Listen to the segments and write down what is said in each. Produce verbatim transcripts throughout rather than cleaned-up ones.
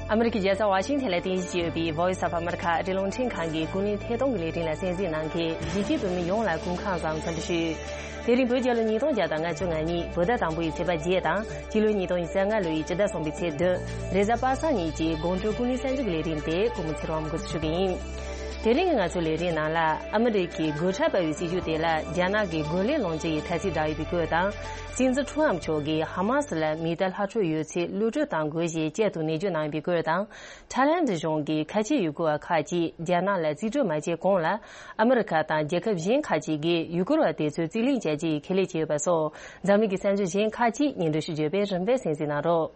ཨ་མི་རི་ཀའི་རྒྱལ་ས་ཝ་ཤིང་ཐན་ལ་རྟེན་གཞི་བྱས་ཡོད་པའི་Voice of America ཨ་རིའི་རླུང་འཕྲིན་ཁང་གི་ཀུན་གླེང་ཐད་གཏོང་གི་ལས་རིམ་ལ་གསན་གཟིགས་གནང་མཁན་གཞིས་བྱེས་བོད་མི་ཡོངས་ལ་སྐུ་ཁམས་བཟང་། འཚམས་འདྲི་ཞུ། དེ་རིང་བོད་རྒྱལ་ལོ་ཉིས་སྟོང་བརྒྱ་དང་ལྔ་བཅུ་ང་གཉིས་བོད་ཟླ་དང་པོ་ཡི་ཚེས་པ་བརྒྱད་དང་། སྤྱི་ལོ་ཉིས་སྟོང་ཉི་ཤུ་རྩ་ལྔ་ལོ་ཡི་སྤྱི་ཟླ་གསུམ་པའི་ཚེས་བདུན། རེས་གཟའ་པ་སངས་ཉིན་གྱི་དགོང་དྲོའི་ཀུན་གླེང་གསར་འགྱུར་གྱི་ལས་རིམ་དེ་ཀུན་མོ་ཚེ་རིང་འགོ་འཛུགས་ཞུ་གི་ཡིན། དེ་རིང་གི་ང་ཚོའི་ལས་རིམ་ནང་ལ། ཨ་མི་རི་ཀའི་སྒོ་ཁྲལ་སྤར་བའི་སྲིད་ཇུས་དེ་ལ་རྒྱ་ནག་གི་རྒོལ་ལན་སློང་རྒྱུ་ཡི་ཐ་ཚིག་བསྒྲགས་ཡོད་པའི་སྐོར་དང་། སྲིད་འཛིན་ཁྲོམ་མཆོག་གིས་ཧ་མ་སི་ལ་མི་གཏའ་ལྷག་འཕྲོ་ཡོད་ཚད་གློད་གྲོལ་གཏང་དགོས་ཞེས་བཅད་དུ་ནན་བརྗོད་གནང་ཡོད་པའི་སྐོར་དང་། ཐའི་ལན་གཞུང་གིས་ཁ་ཆེའི་ཡུལ་སྐོར་བ་ཁག་ཅིག་རྒྱ་ནག་ལ་རྩིས་སྤྲོད་མ་བྱས་གོང་ལ། ཨ་མི་རི་ཁ་དང་རྒྱལ་ཁབ་གཞན་ཁག་ཅིག་གིས་ཡུལ་སྐོར་བ་དེ་ཚོའི་རྩིས་ལེན་བྱ་རྒྱུ་ཡི་ཁས་ལེན་བྱས་ཡོད་པ་སོགས། འཛམ་གླིང་གི་གསར་འགྱུར་གཞན་ཁག་ཅིག་སྙན་སྒྲོན་ཞུ་རྒྱུ་ཡོད་པས་རིམ་པས་གསན་གཟིགས་གནང་རོགས།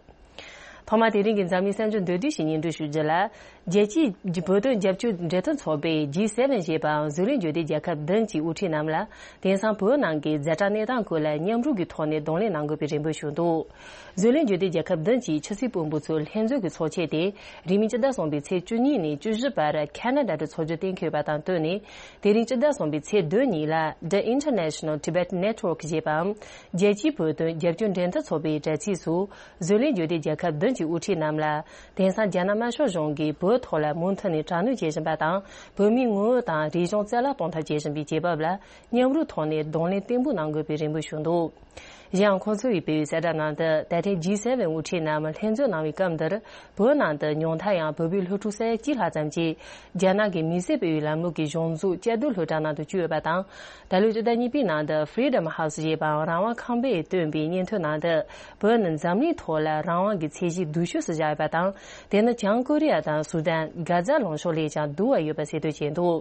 ཐོག་མར་དེ་རིང་གི་འཛམ་གླིང་གསར་འགྱུར་མདོར་བསྡུས་ཤིག་སྙན་སྒྲོན་ཞུ་རྒྱུ་ལ། རྒྱལ་སྤྱིའི་བོད་དོན་རྒྱབ་སྐྱོར་འབྲེལ་མཐུད་ཚོགས་པས་ཇི་སེ་བེན་ཞེས་པའམ་བཟོ་ལས་འབྱོར་ལྡན་རྒྱལ་ཁབ་བདུན་གྱི་དབུ་ཁྲིད་རྣམས་ལ། དེང་སང་བོད་ནང་གི་ཛ་དྲག་གནས་སྟངས་སྐོར་ལ་མཉམ་རུབ་ཀྱི་ཐོག་ནས་གདོང་ལེན་གནང་དགོས་པའི་རེ་འབོད་ཞུས་འདུག་བཟོ་ལས་འབྱོར་ལྡན་རྒྱལ་ཁབ་བདུན་གྱི་ཆབ་སྲིད་དཔོན་པོ་ཚོའི་ལྷན་འཛོམས་ཀྱི་ཚོགས་ཆེན་དེ། རིང་མིན་སྤྱི་ཟླ་གསུམ་པའི་ཚེས་བཅུ་གཉིས་ནས་བཅུ་བཞི་བར་ཁ་ན་ཌ་དུ་འཚོགས་རྒྱུ་གཏན་འཁེལ་བ་དང་བསྟུན་ནས། དེ་རིང་སྤྱི་ཟླ་གསུམ་པའི་ཚེས་བདུན་ཉིན་ལ། The International Tibet Network ཞེས་པའམ། རྒྱལ་སྤྱིའི་བོད་དོན་རྒྱབ་སྐྱོར་འབྲེལ་མཐུད་ཚོགས་པའི་དྲ་ཚིགས་སུ། བཟོ་ལས་འབྱོར་ལྡན་རྒྱལ་ཁབ་བདུན་གྱི་དབུ་ཁྲིད་རྣམས་ལ། དེང་སང་རྒྱ་ནག་དམར་ཤོག་གཞུང་གིས་བོད་ཐོག་ལ་མུ་མཐུད་ནས་དྲག་གནོན་བྱེད་བཞིན་པ་དང་། བོད་མིའི་ངོ་བོ་དང་རིག་གཞུང་རྩ་བརླག་གཏོང་ཐབས་བྱེད་བཞིན་པའི་བྱེད་བབ་ལ། མཉམ་རུབ་ཐོག་ནས་གདོང་ལེན་བརྟན་པོ་གནང་དགོས་པའི་རེ་འབོད་ཞུས་འདུག་གཞན་ཡང་། ཁོང་ཚོ་ཡིས་སྤེལ་བའི་གསལ་བསྒྲགས་ནང་དུ། ད་ཐེངས་ཇི་སེ་བེན་དབུ་ཁྲིད་རྣམས་ལྷན་འཛོམས་གནང་བའི་སྐབས་འདིར། བོད་ནང་དུ་ཉུང་མཐའ་ཡང་བོད་པའི་སློབ་ཕྲུག་ས་ཡ་གཅིག་ལྷག་ཙམ་གྱིས། རྒྱ་ནག་གི་མི་སེར་སྤེལ་བའི་ལམ་ལུགས་ཀྱི་གཞུང་འཛུགས་བཅའ་སྡོད་སློབ་གྲྭ་ནང་དུ་བསྐྱོད་ཡོད་པ་དང་། ད་ལོའི་སྤྱི་ཟླ་གཉིས་པའི་ནང་དུ་Freedom House ཞེས་པའམ། རང་དབང་ཁང་པས་བཏོན་པའི་སྙན་ཐོའི་ནང་དུ། བོད་ནི་འཛམ་གླིང་ཐོག་ལ་རང་དབང་གི་ཚད་གཞི་སྡུག་ཤོས་སུ་བཞག་ཡོད་པ་དང་། དེ་ནི་བྱང་ཀོ་རི་ཡ་དང་སུ་དན། གྷ་ཛ་ལུང་གཤོང་ལས་ཀྱང་སྡུག་པ་ཡོད་པ་གསལ་སྟོན་བྱས་འདུག་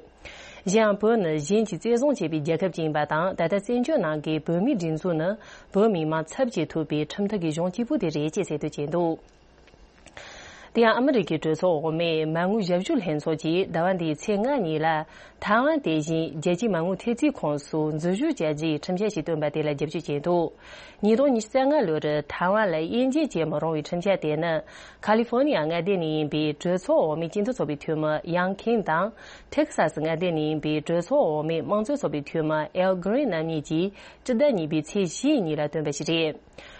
གཞན་ཡང་། བོད་ནི་གཞན་གྱིས་བཙན་བཟུང་བྱས་པའི་རྒྱལ་ཁབ་ཅིག་ཡིན་པ་དང་། ད་ལྟ་བཙན་བྱོལ་ནང་གི་བོད་མིའི་སྒྲིག་འཛུགས་ནི། བོད་མི་མང་ཚབ་བྱེད་ཐུབ་པའི་ཁྲིམས་ཐག་གི་གཞུང་གཅིག་པུ་དེ་རེད་ཅེས་གསལ་སྟོན་བྱས་འདུག་དེ་ཡང་། ཨ་མི་རི་ཀའི་གྲོས་ཚོགས་འོག་མའི་མ་དངུལ་ཞབས་ཞུ་ལྷན་ཚོགས་ཀྱིས་ཟླ་བ་འདིའི་ཚེས་ལྔ་ཉིན་ལ། ཐའེ་ཝན་དེ་བཞིན་རྒྱལ་སྤྱིའི་མ་དངུལ་ཐེབས་རྩའི་ཁོངས་སུ་འཛུལ་ཞུགས་བྱ་རྒྱུའི་ཁྲིམས་འཆར་ཞིག་བཏོན་པ་དེ་ལ་རྒྱབ་སྐྱོར་བྱས་འདུག་ཉིས་སྟོང་ཉི་ཤུ་རྩ་ལྔ་ལོར་ཐའེ་ཝན་ལ་དབྱེ་འབྱེད་བྱེད་མི་རུང་བའི་ཁྲིམས་འཆར་དེ་ནི། ཁ་ལི་ཧྥོ་ནི་ཡ་མངའ་སྡེ་ནས་ཡིན་པའི་གྲོས་ཚོགས་འོག་མའི་སྤྱི་མཐུན་ཚོགས་པའི་འཐུས་མི་ཡང་ཁིམ་དང་། ཐེག་སཱ་སི་མངའ་སྡེ་ནས་ཡིན་པའི་གྲོས་ཚོགས་འོག་མའི་དམངས་གཙོའི་ཚོགས་པའི་འཐུས་མི་ཨེལ་གྷི་རིན་རྣམ་གཉིས་ཀྱིས་སྤྱི་ཟླ་གཉིས་པའི་ཚེས་བཞིའི་ཉིན་ལ་བཏོན་པ་ཞིག་རེད།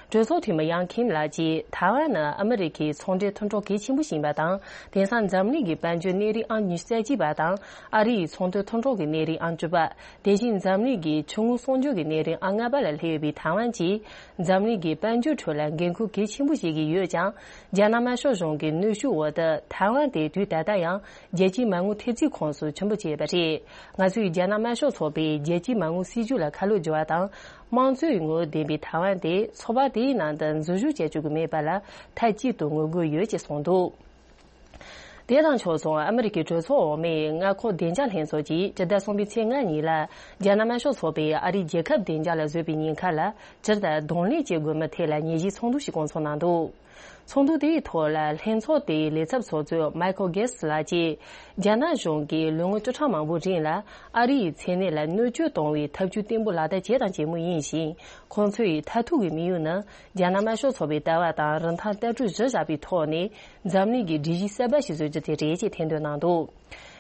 གྲོས་ཚོགས་འཐུས་མི་ཡང་ཁིམ་ལགས་ཀྱིས། ཐའེ་ཝན་ནི་ཨ་མི་རི་ཀའི་ཚོང་འབྲེལ་མཐུན་གྲོགས་གལ་ཆེན་པོ་ཞིག་ཡིན་པ་དང་། དེང་སང་འཛམ་གླིང་གི་དཔལ་འབྱོར་གནས་རིམ་ཨང་ཉི་ཤུ་རྩ་གཅིག་པ་དང་། ཨ་རི་ཡི་ཚོང་དོན་མཐུན་གྲོགས་ཀྱི་གནས་རིམ་ཨང་བཅུ་པ། དེ་བཞིན་འཛམ་གླིང་གི་ཆུ་དངོས་གསོག་འཇོག་གི་གནས་རིམ་ཨང་ལྔ་པ་ལ་སླེབས་ཡོད་པའི་ཐའེ་ཝན་གྱིས། འཛམ་གླིང་གི་དཔལ་འབྱོར་ཁྲོད་ལ་འགན་ཁུར་གལ་ཆེན་པོ་བཞེས་ཀྱི་ཡོད་ཀྱང་། རྒྱ་ནག་དམར་ཤོག་གཞུང་གི་གནོན་ཤུགས་འོག་ཏུ། ཐའེ་ཝན་དེ་དུས་ད་ལྟ་ཡང་རྒྱལ་སྤྱིའི་མ་དངུལ་ཐེབས་རྩའི་ཁོངས་སུ་ཆེན་པོ་བྱས་པ་རེད། ང་ཚོས་རྒྱ་ནག་དམར་ཤོག་ཚོགས་པའི་རྒྱལ་སྤྱིའི་མ་དངུལ་སྲིད་ཇུས་ལ་ཁ་ལོ་སྒྱུར་བ་དང་། དམངས་གཙོའི་ངོ་བོ་ལྡན་པའི་ཐའེ་ཝན་དེ་ཚོགས་པ་དེའི་ནང་དུ་འཛུལ་ཞུགས་བྱ་བཅུག་གི་མེད་པ་ལ་མཐའ་གཅིག་ཏུ་ངོ་རྒོལ་ཡོད་ཅེས་གསུངས་འདུག་དེ་དང་ཕྱོགས་མཚུངས། ཨ་མི་རི་ཀའི་གྲོས་ཚོགས་འོག་མའི་མངའ་ཁོངས་བདེ་འཇགས་ལྷན་ཚོགས་ཀྱིས་སྤྱི་ཟླ་གསུམ་པའི་ཚེས་ལྔ་ཉིན་ལ། རྒྱ་ནག་དམར་ཤོག་ཚོགས་པས་ཨ་རིའི་རྒྱལ་ཁབ་བདེ་འཇགས་ལ་བཟོས་པའི་ཉེན་ཁ་ལ། སྤྱིར་དང་གདོང་ལེན་བྱེད་དགོས་མིན་ཐད་ལ་ཉིན་བཞིའི་ཚོགས་འདུ་ཞིག་སྐོང་ཚོགས་གནང་འདུག་ཚོགས་འདུ་དེའི་ཐོག་ལ་ལྷན་ཚོགས་དེའི་ལས་ཚབ་ཚོགས་གཙོ་མའི་ཁལ་གྷེ་སི་ལགས་ཀྱིས། རྒྱ་ནག་གཞུང་གིས་ལོ་ངོ་བཅུ་ཕྲག་མང་པོའི་རིང་ལ། ཨ་རི་ཡི་མཚན་གནས་ལ་གནོད་སྐྱོན་གཏོང་བའི་ཐབས་ཇུས་བརྟན་པོ་ལག་བསྟར་བྱས་དང་བྱེད་མུས་ཡིན་ཞིང་། ཁོང་ཚོ་ཡི་མཐར་ཐུག་གི་དམིགས་ཡུལ་ནི། རྒྱ་ནག་དམར་ཤོག་ཚོགས་པའི་ལྟ་བ་དང་རིན་ཐང་ལྟ་གྲུབ་གཞི་བཞག་པའི་ཐོག་ནས། འཛམ་གླིང་གི་སྒྲིག་གཞི་གསར་པ་ཞིག་བཟོ་རྒྱུ་དེ་རེད་ཅེས་ཐེར་འདོན་གནང་འདུག་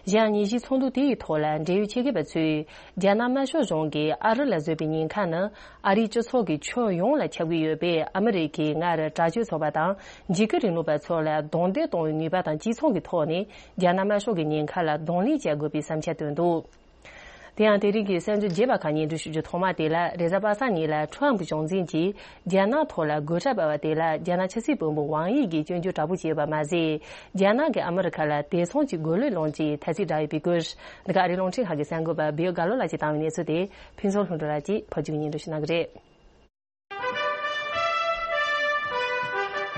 གཞན་ཡང་། ཉིན་བཞིའི་ཚོགས་འདུ་དེའི་ཐོག་ལ་འབྲེལ་ཡོད་ཆེད་མཁས་པ་ཚོས། རྒྱ་ནག་དམར་ཤོག་གཞུང་གིས་ཨ་རི་ལ་བཟོས་པའི་ཉེན་ཁ་ནི། ཨ་རིའི་སྤྱི་ཚོགས་ཀྱི་ཁྱོན་ཡོངས་ལ་ཁྱབ་ཀྱི་ཡོད་པས། ཨ་མི་རི་ཀས་སྔར་དྲག་སྤྱོད་ཚོགས་པ་དང་། འཇིགས་སྐུལ་རིང་ལུགས་པ་ཚོ་ལ་རྡུང་རྡེག་གཏོང་བའི་ནུས་པ་དང་། སྤྱི་ཚོགས་ཀྱི་ཐོག་ནས་རྒྱ་ནག་དམར་ཤོག་གི་ཉེན་ཁ་ལ་གདོང་ལེན་བྱ་དགོས་པའི་བསམ་འཆར་བཏོན་འདུག་དེ་ཡང་། དེ་རིང་གི་གསར་འགྱུར་རྒྱས་པ་ཁག་སྙན་སྒྲོན་ཞུ་རྒྱུ་ཐོག་མ་དེ་ལ། རེས་གཟའ་པ་སངས་ཉིན་ལ་ཁྲོམ་གཞུང་འཛིན་གྱིས་རྒྱ་ནག་ཐོག་ལ་སྒོ་ཁྲལ་སྤར་བ་དེ་ལ། རྒྱ་ནག་ཆབ་སྲིད་དཔོན་པོ་ཝང་དབྱི་གིས་སྐྱོན་བརྗོད་དྲག་པོ་བྱས་ཡོད་པ་མ་ཟད། རྒྱ་ནག་གིས་ཨ་མི་རི་ཁ་ལ་དེ་མཚུངས་ཀྱི་རྒོལ་ལན་སློང་རྒྱུའི་ཐ་ཚིག་བསྒྲགས་ཡོད་པའི་སྐོར། འདི་ག་ཨ་རིའི་རླུང་འཕྲིན་ཁང་གི་གསར་འགོད་པ་བེའུ་དགའ་ལོ་ལགས་ཀྱིས་བཏང་བའི་གནས་ཚུལ་དེ། ཕུན་ཚོགས་ལྷུན་གྲུབ་ལགས་ཀྱིས་ཕབ་སྒྱུར་སྙན་སྒྲོན་ཞུ་གནང་གི་རེད།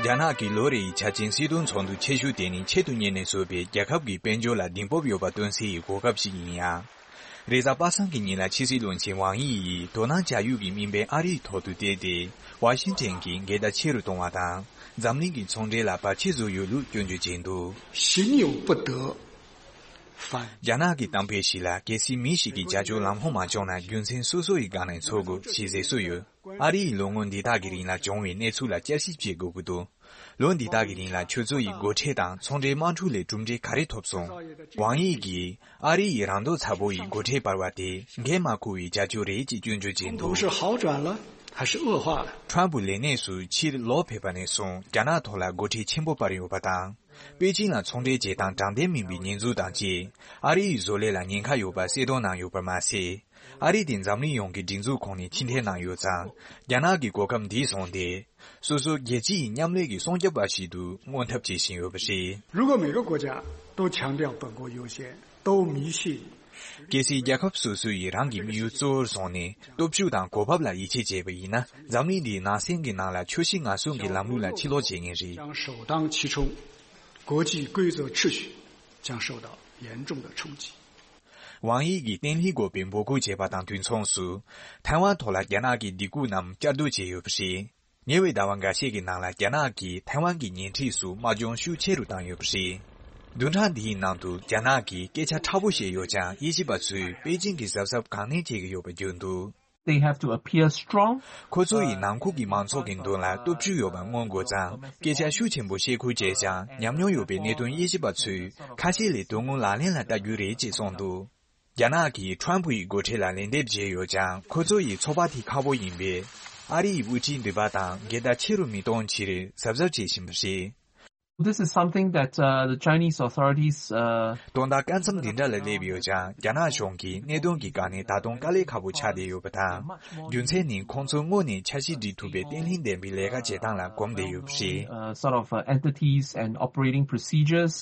རྒྱ་ནག་གི་ལོ་རེའི་འཆར་ཅན་སྲིད་དོན་ཚོགས་འདུ་ཆེ་ཤོས་དེ་ནི་ཆེད་དུ་གཉེར་ནས་བཟོས་པའི་རྒྱལ་ཁབ་ཀྱི་དཔལ་འབྱོར་ལ་གདེང་སྤོབས་ཡོད་པ་སྟོན་སའི་གོ་སྐབས་ཤིག་ཡིན་ཡང་། རེས་གཟའ་པ་སངས་ཀྱི་ཉིན་ལ་ཕྱི་སྲིད་བློན་ཆེན་ཝང་དབྱི་ཡིས་དོ་སྣང་བྱ་ཡུལ་གྱི་དམིགས་འབེན་ཨ་རིའི་ཐོག་ཏུ་བལྟས་ཏེ། ཝ་ཤིང་ཊོན་གྱིས་འགལ་ཟླ་ཆེ་རུ་གཏོང་བ་དང་། འཛམ་གླིང་གི་ཚོང་འབྲེལ་ལ་བར་ཆད་བཟོ་ཡོད་ལུགས་སྐྱོན་བརྗོད་བྱས་འདུག 息怒不得反。 རྒྱ་ནག་གི་གཏམ་དཔེ་ཞིག་ལ། གལ་སྲིད་མི་ཞིག་གིས་བྱ་སྤྱོད་ལམ་ལྷོང་མ་བྱུང་ན། རྒྱུ་མཚན་སོ་སོ་ཡི་སྒང་ནས་འཚོལ་དགོས་ཞེས་ཟེར་སྲོལ་ཡོད། ཨ་རི་ཡིས་ལོ་ངོ་འདི་དག་གི་རིང་ལ་བྱུང་བའི་གནས་ཚུལ་ལ་བསྐྱར་ཞིབ་བྱེད་དགོས་ཀྱི་འདུག་ལོ་འདི་དག་གི་རིང་ལ་ཁྱོད་ཚོ་ཡི་སྒོ་ཁྲལ་དང་ཚོང་འབྲེལ་དམག་འཁྲུག་ལས་གྲུབ་འབྲས་ག་རེ་ཐོབ་སོང་། ཝང་དབྱི་གིས་ཨ་རི་ཡིས་རང་འདོད་ཚ་པོ་ཡི་སྒོ་ཁྲལ་སྤར་བ་དེ་འགན་མ་འཁུར་བའི་བྱ་སྤྱོད་རེད་ཅེས་སྐྱོན་བརྗོད་བྱས་འདུག 是好转了还是恶化了？ ཁྲམ་ཕུ་ལས་གནས་སུ་ཕྱིར་ལོག་ཕེབས་པ་ནས་བཟུང་རྒྱ་ནག་ཐོག་ལ་སྒོ་ཁྲལ་ཆེན་པོ་སྤར་ཡོད་པ་དང་། པེ་ཅིང་ལ་ཚོང་འབྲེལ་བྱེད་སྟངས་དྲང་བདེན་མིན་པའི་ཉེས་འཛུགས་དང་བཅས། ཨ་རི་ཡི་བཟོ་ལས་ལ་ཉེན་ཁ་ཡོད་པ་གསལ་སྟོན་གནང་ཡོད་པར་མ་ཟད། ཨ་རི་དེ་འཛམ་གླིང་ཡོངས་ཀྱི་སྒྲིག་འཛུགས་ཁོངས་ནས་ཕྱིར་འཐེན་གནང་ཡོད་ཙང་། རྒྱ་ནག་གི་གོ་སྐབས་འདི་བཟུང་སྟེ། སོ་སོ་རྒྱལ་སྤྱི་ཡི་མཉམ་ལས་ཀྱི་སྲུང་སྐྱོབ་པ་ཞིག་ཏུ་མངོན་ཐབས་བྱེད་བཞིན་ཡོད་པ་རེད། 如果每个国家都强调本国优先，都迷信 གལ་སྲིད་རྒྱལ་ཁབ་སོ་སོ་ཡིས་རང་གི་དམིགས་ཡུལ་གཙོ་བོར་བཟུང་ནས་སྟོབས་ཤུགས་དང་གོ་བབ་ལ་ཡིད་ཆེས་བྱས་པ་ཡིན་ན། འཛམ་གླིང་འདིའི་ནང་སེམས་ཀྱི་ནང་ལ་ཁྱོད་ཤི་ང་གསོན་གྱི་ལམ་ལུགས་ལ་ཕྱིར་ལོག་བྱེད་ངེས་རེད། 将首当其冲，国际规则秩序将受到严重的冲击。 ཝང་དབྱི་གིས་བརྟན་ལྷིང་དགོས་པའི་འབོད་སྐུལ་བྱས་པ་དང་དུས་མཚུངས་སུ། ཐའེ་ཝན་ཐོག་ལ་རྒྱ་ནག་གི་སྡིགས་སྐུལ་རྣམས་བསྐྱར་ཟློས་བྱས་ཡོད་པ་རེད། ཉེ་བའི་ཟླ་བ་འགའ་ཤས་ཀྱི་ནང་ལ་རྒྱ་ནག་གིས་ཐའེ་ཝན་གྱི་ཉེ་འཁྲིས་སུ་དམག་སྦྱོང་ཤུགས་ཆེ་རུ་བཏང་ཡོད་པ་རེད། བདུན་ཕྲག་འདིའི་ནང་དུ་རྒྱ་ནག་གིས་སྐད་ཆ་ཁྲ་པོ་བཤད་ཡོད་ཀྱང་། དབྱེ་ཞིབ་པ་ཚོས་པེ་ཅིང་གིས་གཟབ་གཟབ་གང་ནན་བྱེད་ཀྱི་ཡོད་པ་བརྗོད་འདུག They have to appear strong. ཁོ་ཚོ་ཡིས་ནང་ཁུལ་གྱི་མང་ཚོགས་ཀྱི་མདུན་ལ་སྟོབས་ཆེ་ཡོད་པ་མངོན་དགོས་ཙང་། སྐད་ཆ་ཤུགས་ཆེན་པོ་བཤད་ཁུལ་བྱས་ཀྱང་། ཉམས་མྱོང་ཡོད་པའི་གནད་དོན་དབྱེ་ཞིབ་པ་ཚོས་ཁ་ཤས་ལས་དོན་དངོས་ལག་ལེན་ལ་བསྟར་རྒྱུ་རེད་ཅེས་གསུངས་འདུག་རྒྱ་ནག་གིས་ཁྲམ་ཕུ་ཡི་འགོ་ཁྲིད་ལ་ལན་འདེབས་བྱས་ཡོད་ཀྱང་། ཁོ་ཚོ་ཡི་ཚོགས་པ་དེ་ཁག་པོ་ཡིན་པས། ཨ་རི་ཡི་དབུ་ཁྲིད་འདི་པ་དང་འགལ་ཟླ་ཆེ་རུ་མི་གཏོང་ཕྱིར་གཟབ་གཟབ་བྱེད་བཞིན་པ་རེད། This is something that uh, the Chinese authorities uh, དོན་དག་སྐབས་མཚམས་འདི་འདྲ་ལ་སླེབས་ཡོད་ཀྱང་། རྒྱ་ནག་གཞུང་གིས་གནད་དོན་གྱི་སྒང་ནས་ད་དུང་དཀའ་ལས་ཁག་པོ་ཆགས་བསྡད་ཡོད་པ་དང་། རྒྱུ་མཚན་ནི་ཁོང་ཚོ་དངོས་གནས་འཆར་གཞི་སྒྲིག་ཐུབ་པའི་བརྟན་ལྷིང་ལྡན་པའི་ལས་ཀ་བྱེད་སྟངས་ལ་གོམས་བསྡད་ཡོད་པ་རེད། uh, sort of uh, entities and operating procedures.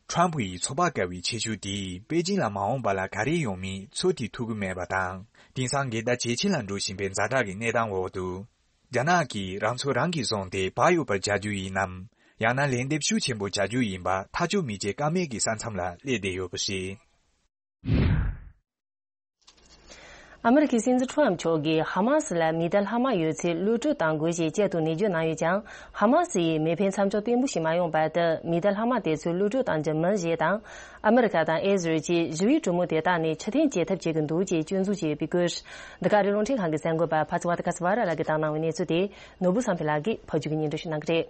ཁྲམ་ཕུ་ཡི་ཚོགས་པ་བཀལ་བའི་ཆེ་ཤོས་དེས་པེ་ཅིང་ལ་མ་འོངས་པ་ལ་ག་རེ་ཡོང་མིན་ཚོད་ཐིག་ཐུབ་ཀྱི་མེད་པ་དང་། དེང་སང་འགལ་ཟླ་ཇེ་ཆེ་ལ་འགྲོ་བཞིན་པའི་ཛ་དྲག་གི་གནས་སྟངས་འོག་ཏུ། རྒྱ་ནག་གིས་རང་ཚོ་རང་གིས་བཟུང་སྟེ་བག་ཡོད་པར་བྱ་རྒྱུ་ཡིན་ནམ། ཡང་ན་ལན་འདེབས་ཤུགས་ཆེན་པོ་བྱ་རྒྱུ་ཡིན་པ་ཐག་གཅོད་མི་བྱེད་ཀ་མེད་ཀྱི་ས་མཚམས་ལ་སླེབས་བསྡད་ཡོད་པ་རེད། ཨ་མེ་རི་ཁའི་སྲིད་འཛིན་ཁྲོམ་མཆོག་གིས་ཧ་མ་སི་ལ་མི་གཏའ་ལྷག་མ་ཡོད་ཚེ་གློད་གྲོལ་གཏང་དགོས་ཞེས་བཅད་དུ་ནན་བརྗོད་གནང་ཡོད་ཀྱང་། ཧ་མ་སི་ཡིས་མེ་འཕེན་མཚམས་འཇོག་བརྟན་པོ་ཞིག་མ་ཡོང་བར་དུ་མི་གཏའ་ལྷག་མ་དེ་ཚོ་གློད་གྲོལ་གཏང་རྒྱུ་མིན་ཞེས་དང་། ཨ་མེ་རི་ཁ་དང་ཨི་ཟི་རལ་གྱིས་ཞི་བའི་གྲོས་མོལ་དེ་དག་ནས་ཕྱིར་འཐེན་བྱེད་ཐབས་བྱེད་ཀྱི་འདུག་ཅེས་སྐྱོན་འཛུགས་བྱས་ཡོད་པའི་སྐོར། འདི་ག་རེ་རླུང་འཕྲིན་ཁང་གི་གསར་འགོད་པ་ཕ་ཚི་ཝ་ཏི་ཁ་སི་ཝ་ར་ལགས་ཀྱིས་བཏང་གནང་བའི་གནས་ཚུལ་དེ་ནོར་བུ་བསམ་འཕེལ་ལགས་ཀྱིས་ཕབ་སྒྱུར་གྱིས་སྙན་སྒྲོན་ཞུ་གནང་གི་རེད།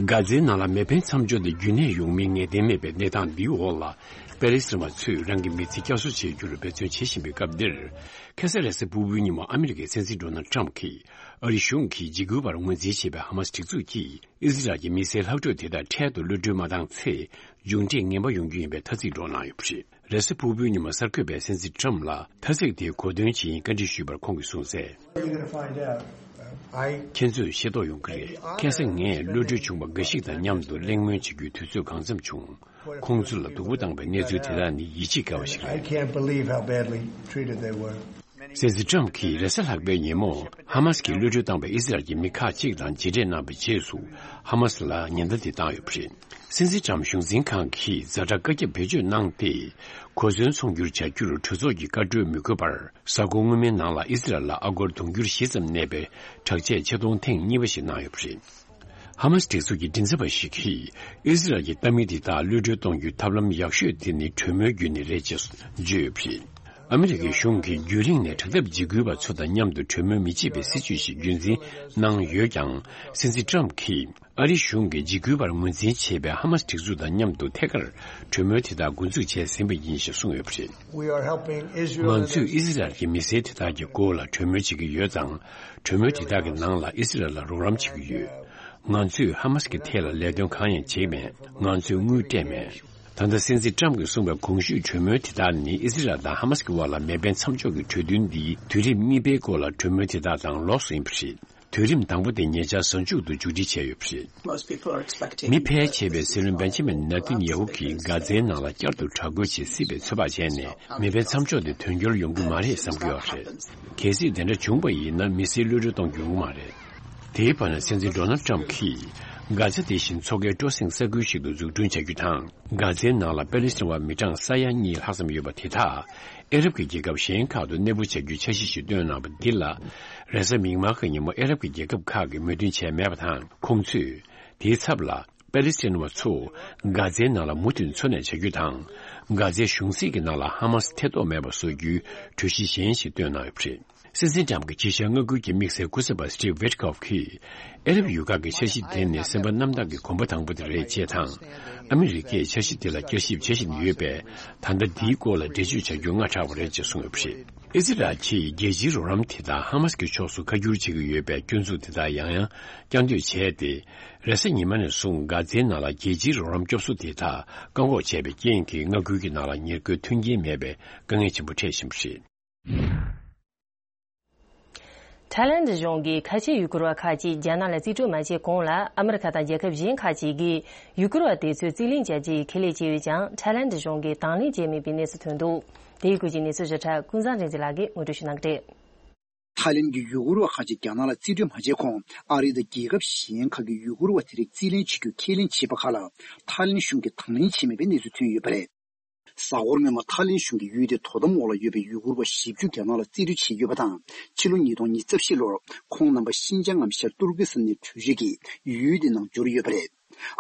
གྷ་ཛའི་ནང་ལ་མེ་འཕེན་མཚམས་འཇོག་དེ་རྒྱུན་གནས་ཡོང་མིན་ངེས་གཏན་མེད་པའི་གནས་སྟངས་འདིའི་འོག་ལ། པེ་ལེ་སི་ཐན་བ་ཚོས་རང་གི་མི་ཚེ་བསྐྱར་གསོ་བྱེད་རྒྱུར་འབད་བརྩོན་བྱེད་བཞིན་པའི་སྐབས་འདིར། ཁ་སང་རེས་གཟའ་ཕུར་བུའི་ཉིན་མོ་ཨ་མི་རི་ཀའི་སྲིད་འཛིན་ཌོ་ནལ་ཊམ་གྱིས་ཨ་རིའི་གཞུང་གིས་འཇིགས་སྐུལ་བར་ངོས་འཛིན་བྱེད་པའི་ཧ་མ་སི་སྒྲིག་འཛུགས་ཀྱིས་ཨི་ཟི་རལ་གྱི་མི་སེར་ལྷག་འཕྲོས་དེ་དག་འཕྲལ་དུ་གློད་གྲོལ་མ་བཏང་ཚེ། མཇུག་འབྲས་ངན་པ་ཡོང་རྒྱུ་ཡིན་པའི་ཐ་ཚིག་སྒྲོག་གནང་ཡོད་པ་རེད། རེས་གཟའ་ཕུར་བུའི་ཉིན་མོ་གསར་འགོད་པས་སྲིད་འཛིན་ཊམ་ལ་ཐ་ཚིག་དེའི་གོ་དོན་ཇི་ཡིན་བཀའ་འདྲི་ཞུས་པར་ཁོང་གིས་གསུངས་གསལ། You're gonna find out. I ཁྱེད་ཚོས་ཤེས་རྟོགས་ཡོང་གི་རེད། ཁ་སང་ངས་གློད་གྲོལ་བྱུང་བ་འགའ་ཞིག་དང་མཉམ་དུ་གླེང་མོལ་བྱེད་རྒྱུའི་དུས་ཚོད་གང་འཚམ་བྱུང་། ཁོང་ཚོ་ལ་སྡུག་པོ་བཏང་བའི་གནས་ཚུལ་དེ་དག་ནི་ཡིད་ཆེས་དཀའ་བ་ཞིག I རེད། Can't believe how badly treated they were. སྲིད་འཛིན་ཊམ་གྱིས་རེས་གཟའ་ལྷག་པའི་ཉིན་མོ་ཧ་མ་སི་གིས་གློད་གྲོལ་བཏང་བའི་ཨི་ཟི་རལ་གྱི་མི་ཁག་ཅིག་དང་མཇལ་འཕྲད་གནང་བའི་རྗེས་སུ་ཧ་མ་སི་ལ་ཉེན་བརྡ་དེ་བཏང་ཡོད་པ་རེད། སྲིད་འཛིན་ཊམ་གཞུང་འཛིན་ཁང་གིས་ཛ་དྲག་བཀའ་ཁྱབ་བེད་སྤྱོད་གནང་སྟེ། གོ་མཚོན་ཚོང་སྒྱུར་བྱ་རྒྱུར་གྲོས་ཚོགས་ཀྱིས་བཀའ་འཁྲོལ་མི་དགོས་པར། གཟའ་འཁོར་སྔོན་མའི་ནང་ལ་ཨི་ཟི་རལ་ལ་ཨ་སྒོར་དུང་ཕྱུར་བཞི་ཙམ་གནས་པའི་དྲག་ཆས་ཆེད་གཏོང་ཐེངས་གཉིས་པ་ཞིག་གནང་ཡོད་པ་རེད། ཧ་མ་སི་སྒྲིག་འཛུགས་ཀྱི་མགྲིན་ཚབ་པ་ཞིག་གིས། ཨི་ཟི་རལ་གྱི་ལྟ་མི་འདི་དག་གློད་གྲོལ་གཏོང་རྒྱུའི་ཐབས་ལམ་ཡག་ཤོས་དེ་ནི་གྲོས་མོལ་བརྒྱུད་ནས་རེད་ཅེས་བརྗོད་ཡོད་པ་རེད། ཨ་མི་རི་ཀའི་གཞུང་གིས་རྒྱུན་རིང་ནས་དྲག་འཐབ་འཇིགས་སྐུལ་བ་ཚོ་དང་མཉམ་དུ་གྲོས་མོལ་མི་བྱེད་པའི་སྲིད་ཇུས་ཤིག་རྒྱུན་འཛིན་གནང་ཡོད་ཀྱང་། སྲིད་འཛིན་ཊམ་གྱིས། ཨ་རིའི་གཞུང་གིས་འཇིགས་སྐུལ་བར་ངོས་འཛིན་བྱེད་པའི་ཧ་མ་སི་སྒྲིག་འཛུགས་དང་མཉམ་དུ་ཐད་ཀར་གྲོས་མོལ་དེ་དག་འགོ་འཛུགས་བྱས་ཟིན་པ་ཡིན་ཞེས་གསུངས་ཡོད་པ་རེད། We are helping Israel. ང་ཚོས་ཨི་ཟི་རལ་གྱི་མི་སེར་དེ་དག་གི་སྐོར་ལ་གྲོས་མོལ་བྱེད་ཀྱི་ཡོད་ཙང་། གྲོས་མོལ་དེ་དག་གི་ནང་ལ་ཨི་ཟི་རལ་ལ་རོགས་རམ་བྱེད་ཀྱི་ཡོད། ང་ཚོས་ཧ་མ་སི་གི་ཐད་ལ་ལས་དོན་གང་ཡང་བྱེད་མེད། ང་ཚོས་དངུལ་སྤྲད་མེད། ད་ལྟ་སྲིད་འཛིན་ཊམ་གྱིས་གསུངས་པའི་གོང་ཞུས་གྲོས་མོལ་དེ་དག་ནི་ཨི་ཟི་རལ་དང་ཧ་མ་སི་གི་དབར་ལ་མེ་འཕེན་མཚམས་འཇོག་གི་གྲོས་མཐུན་འདིའི་དུས་རིམ་གཉིས་པའི་སྐོར་ལ་གྲོས་མོལ་དེ་དག་དང་ལོགས་སུ་ཡིན་པ་རེད། དུས་རིམ་དང་པོ་དེ་ཉེ་ཆར་གཟའ་མཇུག་ཏུ་མཇུག་སྒྲིལ་བྱས་ཡོད་པ་རེད། Most people are expecting. མི་ཕལ་ཆེ་བས་སྲིད་བློན་བེན་ཇི་མིན་ནེ་ཐན་ཡ་ཧུ་གིས་གྷ་ཛའི་ནང་ལ་བསྐྱར་དུ་དྲག་རྒོལ་བྱེད་སྲིད་པའི་ཚོད་དཔག་བྱས་ནས། མེ་འཕེན་མཚམས་འཇོག་དེ་དོན་འཁྱོལ་ཡོང་གི་མ་རེད་བསམ་གྱི་ཡོད་པ་རེད། གལ་སྲིད་དེ་འདྲ་བྱུང་བ་ཡིན་ན། མི་སེར་གློད་གྲོལ་གཏོང་རྒྱུ་ཡོང་གི་མ་རེད། དེའི་བར་ན། སྲིད་འཛིན་ཌོ་ནལ་ཊམ་གྱིས་གྷ་ཛ་དེ་བཞིན་མཚོ་ཁའི་སྤྲོ་གསེང་ས་ཁུལ་ཞིག་ཏུ་འཛུགས་སྐྲུན་བྱ་རྒྱུ་དང་། གྷ་ཛའི་ནང་ལ་པེ་ལེ་སི་ཐན་བ་མི་གྲངས་ས་ཡ་གཉིས་ལྷག་ཙམ་ཡོད་པ་དེ་དག་ཨ་རབ་ཀྱི་རྒྱལ་ཁབ་གཞན་ཁག་ཏུ་གནས་སྤོ་བྱ་རྒྱུའི་འཆར་གཞི་ཞིག་བཏོན་གནང་བ་འདི་ལ། རེས་གཟའ་མིག་དམར་གྱི་ཉིན་མོ་ཨ་རབ་ཀྱི་རྒྱལ་ཁབ་ཁག་གིས་མོས་མཐུན་བྱས་མེད་པ་དང་། ཁོང་ཚོས་དེའི་ཚབ་ལ་པེ་ལེ་སི་ཐན་བ་ཚོ་གྷ་ཛའི་ནང་ལ་མུ་མཐུད་འཚོ་གནས་བྱ་རྒྱུ་དང་། གྷ་ཛའི་གཞུང་སྲིད་ཀྱི་ནང་ལ་ཧ་མ་སི་ཐེ་གཏོགས་མེད་པ་བཟོ་རྒྱུའི་གྲོས་གཞི་གཞན་ཞིག་བཏོན་གནང་ཡོད་པ་རེད། སྲིད་འཛིན་ཏྲམ་གྱི་ཕྱི་བྱ་མངའ་ཁུལ་གྱི་དམིགས་བསལ་སྐུ་ཚབ་པ་Steve Witkoff་གིས། ཨ་རབ་ཡུལ་ཁག་གི་འཆར་གཞི་དེ་ནི་སེམས་པ་རྣམ་དག་གི་གོམ་པ་དང་པོ་དེ་རེད་ཅེས་དང་། ཨ་མི་རི་ཀས་འཆར་གཞི་དེ་ལ་བསྐྱར་ཞིབ་བྱེད་བཞིན་ཡོད་པས། ད་ལྟ་འདིའི་སྐོར་ལ་འགྲེལ་བརྗོད་བྱ་རྒྱུ་སྔ་དྲགས་པ་རེད་ཅེས་གསུངས་ཡོད་པ་རེད། ཨི་ཟི་རལ་གྱིས་རྒྱལ་སྤྱིའི་རོགས་རམ་དེ་དག་ཧ་མ་སི་ཀྱི་ཕྱོགས་སུ་བཀའ་བསྒྱུར་བྱེད་ཀྱི་ཡོད་པའི་སྐྱོན་འཛུགས་དེ་དག་ཡང་ཡང་བསྐྱར་ཟློས་བྱས་ཏེ། རེས་གཟའ་ཉི་མ་ནས་བཟུང་གྷ་ཛའི་ནང་ལ་རྒྱལ་སྤྱིའི་རོགས་རམ་སྐྱོབ་གསོ་དེ་དག་བཀག་འགོག་བྱས་པའི་རྐྱེན་གྱིས་མངའ་ཁུལ་གྱི་ནང་ལ་ཉེར་མཁོའི་མཐུན་རྐྱེན་མེད་པའི་དཀའ་ངལ་ཆེན་པོ་འཕྲད་བཞིན་པ་རེད། ཐའི་ལེན་གཞུང་གིས་ཁ་ཆེའི་ཡུ་གུར་བ་ཁག་ཅིག་རྒྱ་ནག་ལ་རྩིས་སྤྲོད་མ་བྱས་གོང་ལ། ཨ་མི་རི་ཁ་དང་རྒྱལ་ཁབ་གཞན་ཁག་ཅིག་གིས་ཡུ་གུར་བ་དེ་ཚོའི་རྩིས་ལེན་བྱ་རྒྱུའི་ཁས་ལེན་བྱས་ཡོད་ཀྱང་། ཐའི་ལེན་གཞུང་གིས་དང་ལེན་བྱས་མེད་པའི་གནས་ཚུལ་ཐོན་འདུག་དེའི་སྐོར་གྱི་གནས་ཚུལ་ཞིབ་ཕྲ་ཀུན་བཟང་རིག་འཛིན་ལགས་ཀྱིས་ངོ་སྤྲོད་ཞུ་གནང་གི་རེད། ཐའི་ལེན་གྱི་ཡུ་གུར་བ་ཁག་ཅིག་རྒྱ་ནག་ལ་རྩིས་སྤྲོད་མ་བྱས་གོང་། ཨ་རི་དང་རྒྱལ་ཁབ་གཞན་ཁག་གི་ཡུ་གུར་བ་དེ་རིགས་རྩིས་ལེན་བྱེད་རྒྱུ་ཁས་ལེན་བྱས་པ་ཁག་ལ། ཐའི་ལེན་གཞུང་གིས་དང་ལེན་བྱས་མེད་པའི་གནས་ཚུལ་ཐོན་ཡོད་པ་རེད། གཟའ་འཁོར་སྔོན་མ་ཐའི་ལེན་གཞུང་གིས་ཡུལ་དེའི་དོ་དམ་འོག་ལ་ཡོད་པའི་ཡུ་གུར་བ་བཞི་བཅུ་རྒྱ་ནག་ལ་རྩིས་སྤྲོད་བྱས་ཡོད་པ་དང་། ཕྱི་ལོ་ཉིས་སྟོང་ཉི་ཤུ་རྩ་བཞི་ལོར་ཁོང་རྣམ་པ་ཤིན་ཅང་ངམ་ཤར་ཏུར་ཀི་སི་ཐན་ནས་བྲོས་བྱོལ་གྱིས་ཡུལ་དེའི་ནང་འབྱོར་ཡོད་པ་རེད།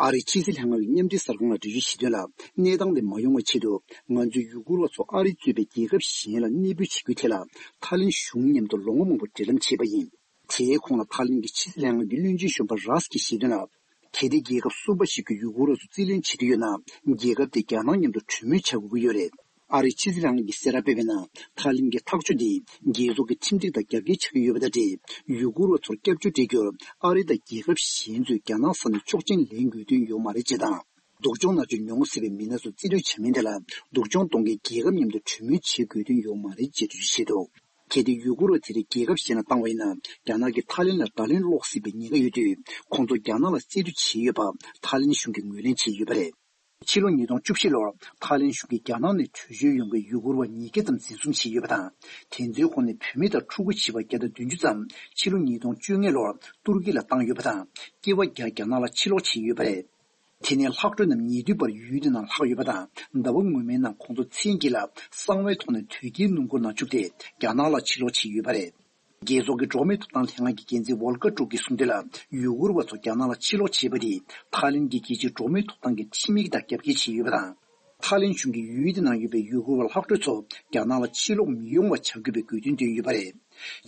ཨ་རིའི་ཕྱི་སྲིད་ལྷན་ཁང་གི་མཉམ་འབྲེལ་གསར་ཁང་ལ་འགྲེལ་བརྗོད་བྱས་དོན་ལ། གནས་སྟངས་དེ་མ་ཡོང་བའི་ཆེད་དུ། ང་ཚོས་ཡུ་གུར་བ་ཚོ་ཨ་རི་གཙོས་པའི་རྒྱལ་ཁབ་གཞན་ལ་གནས་སྤོས་བྱེད་རྒྱུའི་ཐད་ལ། ཐའི་ལེན་གཞུང་མཉམ་དུ་ལོ་ངོ་མང་པོ་འབྲེལ་ལམ་བྱས་པ་ཡིན། དེའི་གོང་ལ་ཐའི་ལེན་གྱི་ཕྱི་སྲིད་ལྷན་ཁང་གི་བློན་ཆེན་གཞོན་པ་རཱས་ཀྱིས་བཤད་དོན་ལ། གལ་ཏེ་རྒྱལ་ཁབ་གསུམ་པ་ཞིག་གིས་ཡུ་གུར་བ་ཚོ་རྩིས་ལེན་བྱེད་འདོད་ཡོད་ན། རྒྱལ་ཁབ་དེས་རྒྱ་ནག་མཉམ་དུ་གྲོས་མོལ་བྱ་དགོས་ཀྱི་ཡོད་རེད། ཨ་རིའི་ཕྱི་སྲིད་ལྷན་ཁང་གིས་གསལ་བསྒྲགས་སྤེལ་བའི་ནང་། ཐའི་ལེན་གྱི་ཐག་གཅོད་འདིས་རྒྱལ་ཚོགས་ཀྱི་ཁྲིམས་སྒྲིག་དང་རྒྱབ་འགལ་ཆགས་ཀྱི་ཡོད་པ་དང་འབྲེལ། ཡུ་གུར་བ་ཚོར་སྐྱབས་བཅོལ་སྤྲད་རྒྱུར་ཨ་རི་དང་རྒྱལ་ཁབ་གཞན་ཚོས་རྒྱ་ནག་ས་ནས་ཆོག་མཆན་ལེན་དགོས་དོན་ཡོད་མ་རེད་ཅེས་དང་། སྡུག་སྦྱོང་མནར་གཅོད་མྱོང་སྲིད་པའི་མི་སྣ་ཚོ་རྩིས་སྤྲོད་བྱ་མིན་དེ་ལ། སྡུག་སྦྱོང་གཏོང་མཁན་རྒྱལ་ཁབ་མཉམ་དུ་གྲོས་མོལ་བྱེད་དགོས་དོན་ཡོད་མ་རེད་ཅེས་འགྲེལ་བརྗོད་བྱས་འདུག་གལ་ཏེ་ཡུ་གུར་བ་དེ་རིགས་རྒྱལ་ཁབ་གཞན་ལ་བཏང་བ་ཡིན་ན། རྒྱ་ནག་གིས་ཐའི་ལེན་ལ་བརྡ་ལན་སློག་སྲིད་པའི་ཉེན་ཁ་ཡོད་དུས། ཁོང་ཚོ་རྒྱ་ནག་ལ་རྩིས་སྤྲོད་བྱས་ཡོད་པ། ཐའི་ལེན་གཞུང་གིས་ངོས་ལེན་བྱས་ཡོད་པ་རེད། ཕྱི་ལོ་ཉིས་སྟོང་བཅུ་བཞི་ལོར་ཐའི་ལེན་གཞུང་གིས་རྒྱ་ནག་ནས་བྲོས་བྱོལ་ཡོང་མཁན་ཡུ་གུར་བ་ཉིས་བརྒྱ་ཙམ་འཛིན་བཟུང་བྱས་ཡོད་པ་དང་། དེ་ཚོའི་ཁོངས་ནས་བུད་མེད་དང་ཕྲུ་གུ་བྱིས་པ་བརྒྱ་དང་བདུན་ཅུ་ཙམ་ཕྱི་ལོ་ཉིས་སྟོང་བཅོ་ལྔ་ལོར་ཏུར་ཀི་ལ་བཏང་ཡོད་པ་དང་། སྐྱེས་པ་བརྒྱ་རྒྱ་ནག་ལ་ཕྱིར་ལོག་བྱས་ཡོད་པ་རེད། དེ་ནས་ལྷག་འཕྲོ་རྣམས་ཉེ་དུས་བར་ཡུལ་དེ་ནང་ལྷག་ཡོད་པ་དང་། ཟླ་བ་སྔོན་མའི་ནང་ཁོང་ཚོ་མཚན་དཀྱིལ་ལ་གསང་བའི་ཐོག་ནས་དོས་སྐྱེལ་སྣུམ་འཁོར་ནང་བཅུག་སྟེ་རྒྱ་ནག་ལ་ཕྱིར་ལོག་བྱས་ཡོད་པ་རེད། རྒྱལ་ཚོགས་ཀྱི་འགྲོ་བ་མིའི་ཐོབ་ཐང་ལྷན་ཁང་གི་འགན་འཛིན་ཝོལ་ཀར་ཀྲུག་གིས་གསུངས་དོན་ལ། ཡུ་གུར་བ་ཚོ་རྒྱ་ནག་ལ་ཕྱིར་ལོག་བྱས་པ་དེས་ཐའི་ལེན་གྱི་རྒྱལ་སྤྱིའི་འགྲོ་བ་མིའི་ཐོབ་ཐང་གི་ཁྲིམས་ཡིག་དང་རྒྱབ་འགལ་བྱས་ཡོད་པ་དང་། ཐའི་ལེན་གཞུང་གིས་ཡུལ་དེ་ནང་ཡོད་པའི་ཡུ་གུར་བ་ལྷག་འཕྲོ་ཚོ་རྒྱ་ནག་ལ་ཕྱིར་ལོག་མི་ཡོང་བ་བྱ་དགོས་པའི་དགོས་འདུན་བཏོན་ཡོད་པ་རེད།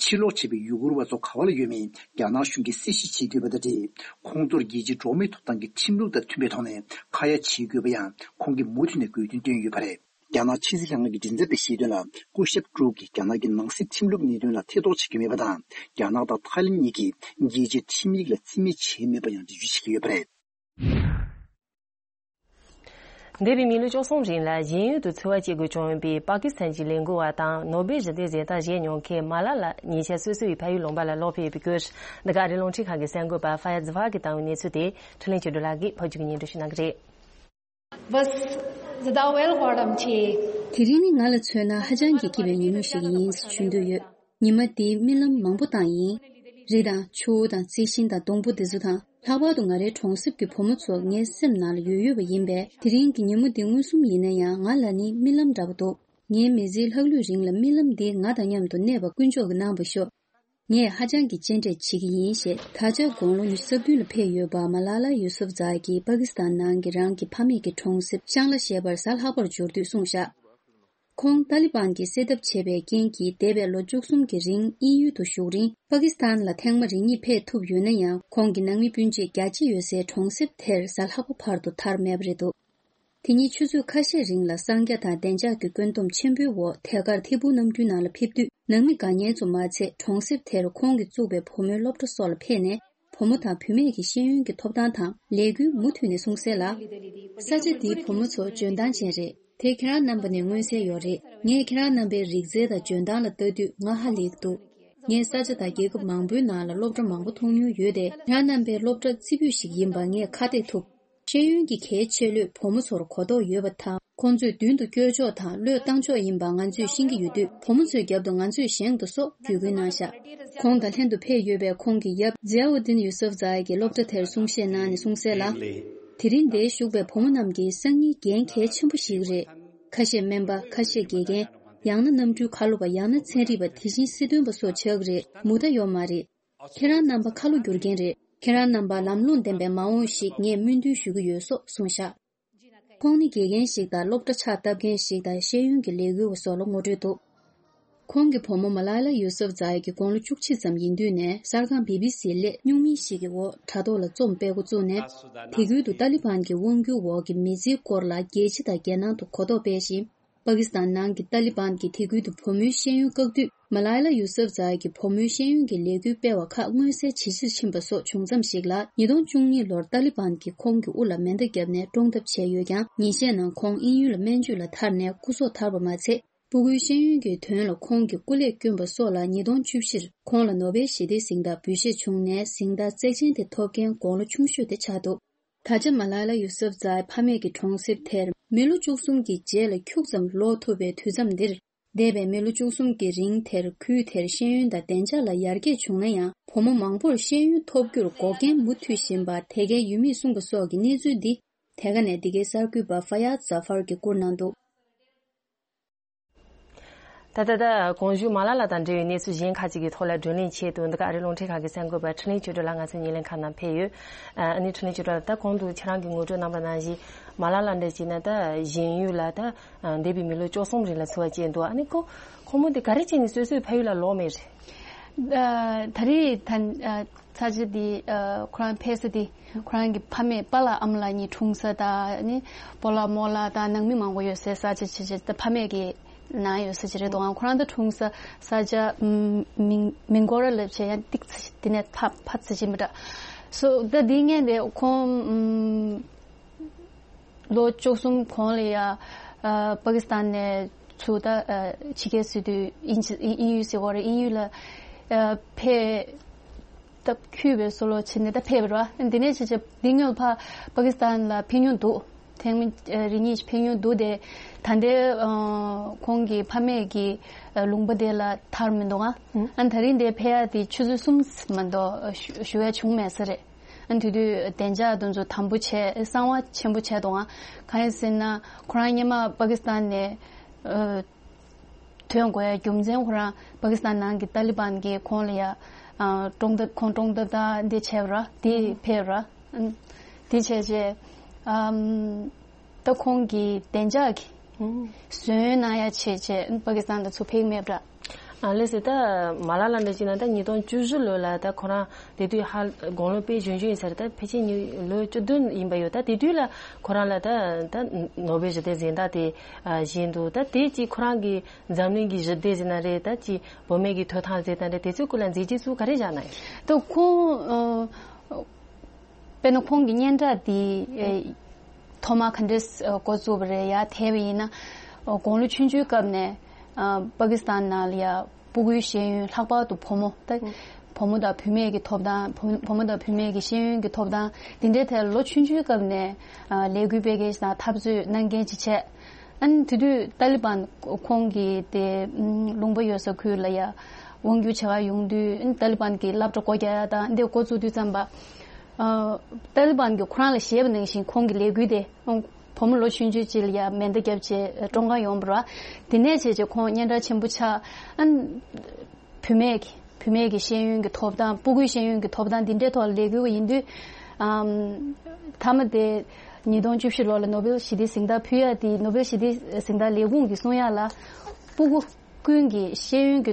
ཕྱིར་ལོག་བྱས་པའི་ཡུ་གུར་བ་ཚོ་ག་བ་ལ་ཡོད་མིན་རྒྱ་ནག་གཞུང་གིས་གསལ་བཤད་བྱེད་དགོས་པ་དང་འབྲེལ། ཁོང་ཚོར་རྒྱལ་སྤྱིའི་འགྲོ་བ་མིའི་ཐོབ་ཐང་གི་ཁྲིམས་ལུགས་དང་མཐུན་པའི་ཐོག་ནས་ཁ་ཡ་བྱེད་དགོས་པ་ཡང་ཁོང་གིས་མུ་མཐུད་ནས་དགོས་འདུན་བཏོན་ཡོད་པ་རེད། རྒྱ་ནག་ཕྱི་སྲིད་ལྷན་ཁང་གི་མགྲིན་ཚབ་པས་བཤད་དོན་ལ། སྐུ་ཞབས་ཀྲུག་གིས་རྒྱ་ནག་གི་ནང་སྲིད་ཁྲིམས་ལུགས་གནད་དོན་ལ་ཐེ་གཏོགས་བྱེད་ཀྱི་མེད་པ་དང་། རྒྱ་ནག་དང་ཐའི་ལེན་གཉིས་ཀྱིས་རྒྱལ་སྤྱིའི་ཁྲིམས་ཡིག་ལ་རྩིས་མེད་བྱས་མེད་པ་ཡང་འགྲེལ་བརྗོད་བྱེད་ཀྱི་ཡོད་པ་རེད། འདས་པའི་མི་ལོ་བཅུ་གསུམ་རིང་ལ་གཞན་ཡུལ་དུ་འཚོ་བ་སྐྱེལ་དགོས་བྱུང་བའི་པ་ཀི་སི་ཐན་གྱི་ལས་འགུལ་བ་དང་ནོ་སྦེལ་ཞི་བདེའི་གཟེངས་རྟགས་བཞེས་མྱོང་མཁན་མ་ལ་ལ་ཉེ་ཆར་སོ་སོའི་ཕ་ཡུལ་ལུང་པ་ལ་ལོག་ཕེབས་ཡོད་པའི་སྐོར། འདི་ག་ཨ་རིའི་རླུང་འཕྲིན་ཁང་གི་གསར་འགོད་པ་ཧྥ་ཡ་ཛི་ཧྥ་གིས་བཏང་བའི་གནས་ཚུལ་དེ་འཕྲིན་ལས་ཆོས་སྒྲོན་ལགས་ཀྱིས་ཕབ་སྒྱུར་གྱིས་སྙན་སྒྲོན་ཞུ་གནང་གི་རེད། Was the Dawel Gordam Che. དེ་རིང་ནི་ང་ལ་མཚོན་ན་ཧ་ཅང་གི་སྐྱིད་པའི་ཉིན་མོ་ཞིག་ཡིན་ཞུ་འདོད་ཡོད། ཉི་མ་འདིའི་རྨི་ལམ་མང་པོ་བཏང་ཡིན། རི་དང་ཆུ་བོ་དང་རྩི་ཤིང་དང་སྡོང་པོ་འདི་ཚོ་དང་། ལྷག་པར་དུ་ང་རའི་གྲོང་གསེབ་ཀྱི་བུ་མོ་ཚོ་ངའི་སེམས་ནང་ལ་ཡོད་ཡོད་པ་ཡིན་པས། དེ་རིང་གི་ཉིན་མོ་འདི་མངོན་སུམ་ཡིན་ན་ཡང་ང་ལ་ནི་རྨི་ལམ་འདྲ་པོ་འདུག་ངའི་མི་ཚེའི་ལྷག་ལུས་རིང་ལ་རྨི་ལམ་འདིས་ང་དང་མཉམ་དུ་གནས་པ་དཀོན་མཆོག་གིས་གནང་བར་ཤོག་ངས་ཧ་ཅང་གི་གཅེས་སྤྲས་བྱེད་ཀྱི་ཡིན་ཞེས། ད་ཆ་དགུང་ལོ་ཉི་ཤུ་རྩ་བདུན་ལ་ཕེབས་ཡོད་པ་མ་ལ་ལ་ཡུ་སུབ་ཛ་གིས་པ་ཀི་སི་ཐན་ནང་གི་རང་གི་ཕ་མེས་ཀྱི་གྲོང་གསེབ་ཤང་ལ་ཞེས་པར་གཟའ་ལྷག་པར་འབྱོར་དུས་གསུངས་བཞག་ཁོང་ཏཱ་ལི་བན་གྱིས་བསད་ཐབས་བྱས་པའི་རྐྱེན་གྱིས་འདས་པའི་ལོ་བཅུ་གསུམ་གྱི་རིང་དབྱིན་ཡུལ་དུ་བཞུགས་རིང་། པ་ཀི་སི་ཐན་ལ་ཐེངས་མ་རེ་གཉིས་ཕེབས་ཐུབ་ཡོད་ན་ཡང་། ཁོང་གི་ནང་མི་སྤུན་མཆེད་རྒྱ་ཆེ་ཡོད་སའི་གྲོང་གསེབ་དེར་གཟའ་ལྷག་པ་བར་དུ་ཐར་མེད་པ་རེད་འདུག་དེ་ཉིན་ཆུ་ཚོད་ཁ་ཤས་རིང་ལ་གསང་རྒྱ་དང་བདེ་འཇགས་ཀྱི་བཀོད་འདོམས་ཆེན་པོའི་འོག་ཐད་ཀར་ཐད་འཕུར་གནམ་གྲུའི་ནང་ལ་ཕེབས་དུས། ནང་མི་དགའ་ཉེ་ཚོ་མ་ཚད། གྲོང་གསེབ་དེར་ཁོང་གིས་བཙུགས་པའི་བུ་མོའི་སློབ་གྲྭ་སོགས་ལ་ཕེབས་ནས། བུ་མོ་དང་བུད་མེད་ཀྱི་ཤེས་ཡོན་གྱི་ཐོབ་ཐང་དང་ལས་འགུལ་མུ་མཐུད་ནས་སྲུང་གསལ་ལ། ས་ཆ་འདིའི་བུ་མོ་ཚོ་འཇོན་ཐང་ཅན་རེད། དེ་ཁྱེད་རང་རྣམ་པ་ནས་མངོན་གསལ་ཡོད་རེད། ངས་ཁྱེད་རང་རྣམ་པའི་རིག་རྩལ་དང་འཇོན་ཐང་ལ་ལྟ་དུས་ང་ཧ་ལས་འདུག་ངས་ས་ཆ་དང་རྒྱལ་ཁབ་མང་པོའི་ནང་ལ་སློབ་གྲྭ་མང་པོ་མཐོང་མྱོང་ཡོད་དེ། ཁྱེད་རང་རྣམ་པའི་སློབ་གྲྭ་རྩེ་ཕུད་ཞིག་ཡིན་པ་ངས་ཁ་གཏད་ཐུབ། ཤེས་ཡོན་གྱི་གལ་ཆེ་བློས་བུ་མོ་ཚོར་གོ་རྟོགས་ཡོད་པ་དང་། ཁོང་ཚོས་མདུན་དུ་སྐྱོད་ཕྱོགས་དང་བློས་བཏང་ཕྱོགས་ཡིན་པ་ང་ཚོས་ཤེས་ཀྱི་ཡོད་དུས། བུ་མོ་ཚོའི་རྒྱབ་ཏུ་ང་ཚོས་བཞེངས་འདུག་སོགས་བརྒྱུད་སྐུལ་གནང་བཞག་ཁོང་དང་ལྷན་དུ་ཕེབས་ཡོད་པའི་ཁོང་གི་ཡབ་ཛི་ཨའུ་ཏིན་ཡུ་སུབ་ཛ་ཡ་གིས་སློབ་གྲྭ་དེར་གསུང་བཤད་གནང་ནས་གསུངས་གསལ་ལ། དེ་རིང་འདིར་བཞུགས་པའི་བུ་མོ་རྣམས་ཀྱི་སང་ཉིན་འགན་གལ་ཆེན་པོ་ཞིག་རེད། ཁ་ཤས་སྨན་པ། ཁ་ཤས་དགེ་རྒན། ཡང་ན་གནམ་གྲུའི་ཁ་ལོ་བ། ཡང་ན་ཚན་རིག་པ། དེ་བཞིན་སྲིད་དོན་པ་སོགས་ཆགས་ཀྱི་རེད། མུ་མཐའ་ཡོད་མ་རེད། ཁྱེད་རང་རྣམ་པ་ཁ་ལོ་བསྒྱུར་མཁན་རེད། ཁྱེད་རང་རྣམ་པ་ལམ་ལྷོང་ལྡན་པའི་མ་འོངས་ཤིག་ངས་སྨོན་འདུན་ཞུ་གི་ཡོད་སོགས་གསུངས་བཞག་ཁོང་ནི་དགེ་རྒན་ཞིག་དང་སློབ་གྲྭ་ཕྱག་བཏབ་མཁན་ཞིག་དང་ཤེས་ཡོན་གྱི་ལས་འགུལ་བ་སོགས་ལ་ངོ་སྤྲོད་འདུག་ཁོང་གི་བུ་མོ་མ་ལ་ལ་ཡུ་སུབ་ཛ་ཡི་གི་དགུང་ལོ་བཅུ་གཅིག་ཙམ་ཡིན་དུས་ནས་གསར་ཁང་བི་བི་སིའི་སླད་སྨྱུག་མིང་ཞིག་གི་འོག་དྲ་ཐོག་ལ་རྩོམ་སྤེལ་འགོ་བཙུགས་ནས། དེ་ཁུལ་དུ་ཏཱ་ལི་བན་གྱི་དབང་སྒྱུར་འོག་གི་མི་ཚེའི་སྐོར་ལ་རྒྱལ་སྤྱི་དང་རྒྱལ་ནང་དུ་གོ་རྟོགས་སྤེལ་ཞིང་། པ་ཀི་སི་ཐན་ནང་གི་ཏཱ་ལི་བན་གྱིས་དེ་ཁུལ་དུ་བུ་མོའི་ཤེས་ཡོན་བཀག་དུས། མ་ལ་ལ་ཡུ་སུབ་ཛ་ཡི་གི་བུ་མོའི་ཤེས་ཡོན་གྱི་ལས་འགུལ་སྤེལ་བ་ཁག་མངོན་གསལ་ཇེ་ཆེར་ཕྱིན་པ་སོགས་བྱུང་མཚམས་ཤིག་ལ། ཉིས་སྟོང་བཅུ་གཉིས་ལོར་ཏཱ་ལི་བན་གྱིས་ཁོང་གི་དབུ་ལ་མེ་མདའ་བརྒྱབ་ནས་བཀྲོངས་ཐབས་བྱས་ཡོད་ཀྱང་། ཉིན་ཤས་ནང་ཁོང་དབྱིན་ཡུལ་ལ་སྨན་བཅོས་ལ་ཐར་ནས་སྐུ་སྲོག་ཐར་བ་མ་ཚད། སྤུ་གུའི་ཤེས་ཡོན་གྱི་དོན་ལ་ཁོང་གི་སྐུ་ལས་བསྐྱོན་པ་སོགས་ལ། ཉིས་སྟོང་བཅུ་བཞིར་ཁོང་ལ་ནོ་བེལ་ཞི་བདེའི་གཟེངས་རྟགས་འབུལ་བཞེས་བྱུང་ནས། གཟེངས་རྟགས་བརྩེགས་ཅན་དེ་ཐོབ་མཁན་དགུང་ལོ་ཆུང་ཤོས་དེ་ཆགས་འདུག་ད་ཆ་མ་ལ་ལ་ཡུ་སུབ་ཛ་ཡི་ཕ་མེས་ཀྱི་གྲོང་གསེབ་དེར་མི་ལོ་བཅུ་གསུམ་གྱི་རྗེས་ལ་ཁྱུག་ཙམ་ལོག་ཐུབ་པའི་དུས་མཚམས་འདིར། འདས་པའི་མི་ལོ་བཅུ་གསུམ་གྱི་རིང་དེར་ཁུལ་དེར་ཤེས་ཡོན་དང་བདེ་འཇགས་ལ་ཡར་རྒྱས་བྱུང་ན་ཡང་། བུ་མོ་མང་པོར་ཤེས་ཡོན་ཐོབ་རྒྱུར་འགོག་རྐྱེན་མུ་མཐུད་བཞིན་པ་དེ་གའི་ཡུལ་མིས་གསུངས་པ་སོགས་ཀྱི་གནས་ཚུལ་འདི། དེ་ག་ནས་འདི་གའི་གསར་འགོད་པ་ཧྥ་ཡ་ཛ་ཧྥར་གྱིས་བསྐུར་གནང་འདུག་ད་ལྟ་ད་གོང་ཞུས་མ་ལ་ལ་དང་འབྲེལ་བའི་གནས་ཚུལ་གཞན་ཁག་ཅིག་གི་ཐོག་ལ་བགྲོ་གླེང་ཆེད་དུ། འདི་ག་ཨ་རིའི་རླུང་འཕྲིན་ཁང་གི་གསར་འགོད་པ་འཕྲིན་ལས་ཆོས་སྒྲོན་ལགས་ང་ཚོའི་བརྙན་ལེན་ཁང་ནང་ཕེབས་ཡོད། ཨ་ནི་འཕྲིན་ལས་ཆོས་སྒྲོན་ལགས། ད་གོང་དུ་ཁྱེད་རང་གིས་ངོ་སྤྲོད་གནང་པ་ནང་བཞིན། མ་ལ་ལ་འདྲ་བྱས་ན་ད་གཞན་ཡུལ་ལ་ད་འདས་པའི་མི་ལོ་བཅུ་གསུམ་རིང་ལ་འཚོ་བ་སྐྱེལ་འདུག་ཨ་ནི་ཁོ་ཁོ་མོ་དེ་ག་རེ་བྱས་ནས་སོ་སོའི་ཕ་ཡུལ་ལ་ལོག་མེད་རེད། ཨ། ད་རེས་ད་ཨ། ས་ཆ་འདི་ཨ། ཁོ་རང་ཕེབས་ས་འདི་ཁོ་རང་གི་ཕ་མེས་པཱ་ལགས་ཨ་མ་ལགས་གཉིས་འཁྲུངས་ས་དང་ནི་སྤོ་ལགས་རྨོ་ལགས་དང་ནང་མི་མང་པོ་ཡོད་སའི་ས་ཆ་ཆེ་ཆེ་ད་ཕ་མེས་ཀྱི་ནང་ཡོད་ས་ཅིག་རེད་འདུག་ཁོ་རང་ད་འཁྲུངས་ས་ས་ཆ་མིང་མིང་གོ་ར་ལབ་བྱས་ཡང་ཏིག་ཙ་དེ་ནས་ཕ་ཕ་ཚ་ཅིག་མི་འདྲ་སོ། ད་འདི་ངས་དེ་ཁོང་ལོ་བཅུ་གསུམ་གོང་ལ་ཡ་ཨ། པ་ཀི་སི་ཐན་ནས་ཚུར་ད་ཨ། ཕྱི་རྒྱལ་སྲིད་དུ་དབྱིན་ཇི་དབྱིན་ཡུལ་ཟེར་བ་རེད། དབྱིན་ཡུལ་ལ་ཨ། ཕེབས་སྟབས་འཁྱུད་པའི་བཟོ་ལོ་བྱས་ནས་ད་ཕེབས་པ་རེད་བ། འདི་ནས་བྱས་བྱས་འདི་སྔོན་ཕ་པ་ཀི་སི་ཐན་ལ་ཕེབས་མྱོང་འདུག་ཐེངས་མ་རེ་གཉིས་ཕེབས་མྱོང་འདུག་དེ་ད་ལྟའི་ཨ། ཁོང་གི་ཕ་མེས་ཀྱི་ཨ། ལུང་པ་དེ་ལ་ཐར་མི་འདུག་ཨ། ཨ་ད་རིང་དེ་ཕེབས་ཡ་དེ་ཆུ་ཚོད་གསུམ་མ་གཏོགས་ཞུ་ཞུ་ཡ་བྱུང་མེད་ས་རེད། ཨ་དེ་དུས་བདེ་འཇགས་དེ་ཚོ་དམ་པོ་བྱས་གསང་བ་ཆེན་པོ་བྱས་འདུག་ཨ། གང་ཡིན་ཟེར་ན་ཁོ་རང་སྔོན་མ་པ་ཀི་སི་ཐན་ནས་ཨ། ཐོན་དགོས་ཡ་རྒྱུ་མཚན་ཁོ་རང་པ་ཀི་སི་ཐན་ནང་གི་ཏཱ་ལི་བན་གྱིས་ཁོང་ལ་ཡ་ཨ། བཀྲོངས་ཐབས་ཁོང་བཀྲོངས་ཐབས་དང་འདི་བྱས་པ་ར་འདི་ཕེབས་ར། ཨ་འདི་བྱས་རྗེས་ཨམ། ད་ཁོང་གིས་བདེ་འཇགས་ཀྱི་ཨུམ། ཟོན་གནང་ཡ་བྱས་བྱས་པ་ཀི་སི་ཐན་ལ་ཚུར་ཕེབས་མེད་པ་འདྲ། ཨ་ལགས་སོ། ད་མ་ལ་ལ་འདྲ་བྱས་ན་ད་ཉིས་སྟོང་བཅུ་བཞི་ལོ་ལ་ད་ཁོ་རང་དེ་དུས་ཧ་དགུང་ལོ་དཔེ་གཞོན་གཞོན་ཡིན་ས་རེད། ད་ཕལ་ཆེར་ཉི་ལོ་བཅུ་བདུན་ཡིན་པ་ཡོད། ད་དེ་དུས་ལ་ཁོ་རང་ལ་ད་ད་ནོ་བེལ་ཞི་བདེ་གཟེངས་རྟགས་དེ་ཨ་བཞེས་འདུག་ད་དེ་ཅིག་ཁོ་རང་གི་འཛམ་གླིང་གི་ཞི་བདེ་ཟེར་ན་རེད། ད་ཅིག་བུད་མེད་ཀྱི་ཐོབ་ཐང་ཟེར་ན་རེད། དེ་ཚོའི་སྐོར་ལ་མཛད་རྗེས་ཚུར་ག་རེ་བཞག་ན་ཡང་། ད་ཁོང་ཨ། དཔེར་ན་ཁོང་གི་སྙན་གྲགས་འདི་ཨེ། ཐོག་མ་ག་འདྲས་ཨ། འགོ་བཙུགས་པ་རེད། ཡར་དེད་པ་ཡིན་ན་ཨ། དགུང་ལོ་ཆུང་ཆུང་སྐབས་ནས་ཨ། པ་ཀི་སི་ཐན་ནང་ལ་ཡ་སྤུ་གུའི་ཤེས་ཡོན་ལྷག་པར་དུ་བུ་མོ་ད་བུ་མོ་དང་བུད་མེད་ཀྱི་ཐོབ་ཐང་བུ་བུ་མོ་དང་བུད་མེད་ཀྱི་ཤེས་ཡོན་གྱི་ཐོབ་ཐང་འདི་འདྲའི་ཐད་ལོ་ཆུང་ཆུང་སྐབས་ནས་ཨ། ལས་འགུལ་སྤེལ་མཁན་ཞིག་དང་འཐབ་རྩོད་གནང་མཁན་ཅིག་བྱས། ཨ་ནི་དེ་དུས་ཏཱ་ལི་བན་ཁོང་གི་དེ་ལུང་པ་ཡོད་ས་ཁུལ་ལ་ཡ་དབང་སྒྱུར་བྱེད་ག་ཡོང་དུས་ཨ་ནི་ཏཱ་ལི་བན་གྱི་སློབ་གྲྭ་སྒོ་རྒྱག་ཡ་དང་འདི་འགོ་བཙུགས་དུས་ཙམ་པ། ཨ། ཏཱ་ལི་བན་གྱིས་ཁོ་རང་ལ་བཞེས་པ་ནང་བཞིན་ཁོང་གི་ལས་འགུལ་དེ་བུ་མོ་ལོ་ཆུང་ཆུང་ཅིག་ལ་ཡ་མེ་མདའ་བརྒྱབ་བྱས་བཀྲོངས་ག་ཡོང་བ་རེད། དེ་ནས་བྱས་བྱས་ཁོང་སྙན་གྲགས་ཆེན་པོ་ཆགས། ཨ་ནི། བུད་མེད་ཀྱི་བུད་མེད་ཀྱི་ཤེས་ཡོན་གྱི་ཐོབ་ཐང་སྤུ་གུའི་ཤེས་ཡོན་གྱི་ཐོབ་ཐང་འདི་འདྲའི་ཐོག་ལ་ལས་འགུལ་བ་ཡིན་དུས། ཨམ། མཐའ་མ་དེ་ཉིས་སྟོང་བཅུ་བཞི་ལོ་ལ་ནོ་བེལ་ཞི་བདེའི་གཟེངས་རྟགས་ཕུལ་ཡ་དེ་ནོ་བེལ་ཞི་བདེའི་གཟེངས་རྟགས་ལས་ཁུངས་ཀྱིས་གསུང་ཡ་ལ་སྤུ་གུ་ཀུན་གྱི་ཤེས་ཡོན་གྱི་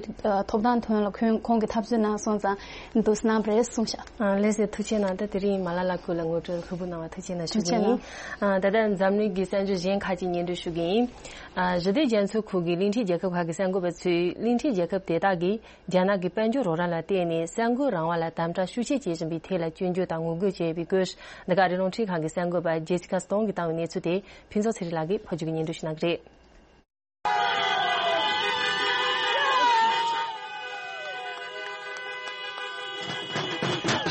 ཐོབ་ཐང་དོན་ལ་ཁོང་ཁོང་གིས་འཐབ་རྩོད་གནང་སོང་ཙང་འདུག་སེ་གནང་བ་རེད་གསུངས་ཤག་ཨ་ལགས་སོ། ཐུགས་རྗེ་གནང་། ད་དེ་རིང་མ་ལ་ལ་སྐུ་ལ་ངོ་སྤྲོད་ལྷུག་པོ་གནང་བ་ཐུགས་རྗེ་གནང་ཞུ་གི་ཡིན། ཨ་ད་ལྟ་འཛམ་གླིང་གི་གསར་འགྱུར་གཞན་ཁག་ཅིག་སྙན་སྒྲོན་ཞུ་གི་ཡིན། ཨ་ཞི་བདེ་རྒྱ་མཚོའི་ཁུལ་གྱི་གླིང་ཕྲན་རྒྱལ་ཁབ་ཁག་གི་གསར་འགོད་པ་ཚོས་གླིང་ཕྲན་རྒྱལ་ཁབ་དེ་དག་གིས་རྒྱ་ནག་གི་དཔལ་འབྱོར་རོགས་རམ་ལ་བརྟེན་ནས་གསར་འགོད་རང་དབང་ལ་དམ་དྲག་ཤུགས་ཆེ་བྱེད་བཞིན་པའི་ཐད་ལ་སྐྱོན་བརྗོད་དང་ངོ་རྒོལ་བྱས་ཡོད་པའི་སྐོར། འདི་ག་རི་ལུང་ཁྲིན་ཁང་གི་གསར་འགོད་པ་ཇེ་སི་ཀ་སྟོང་གིས་བཏང་བའི་གནས་ཚུལ་དེ་ཕུན་ཚོགས་ཚེ་རིང་ལགས་ཀྱིས་ཕབ་སྒྱུར་གྱིས་སྙན་སྒྲོན་ཞུ་གནང་གི་རེད།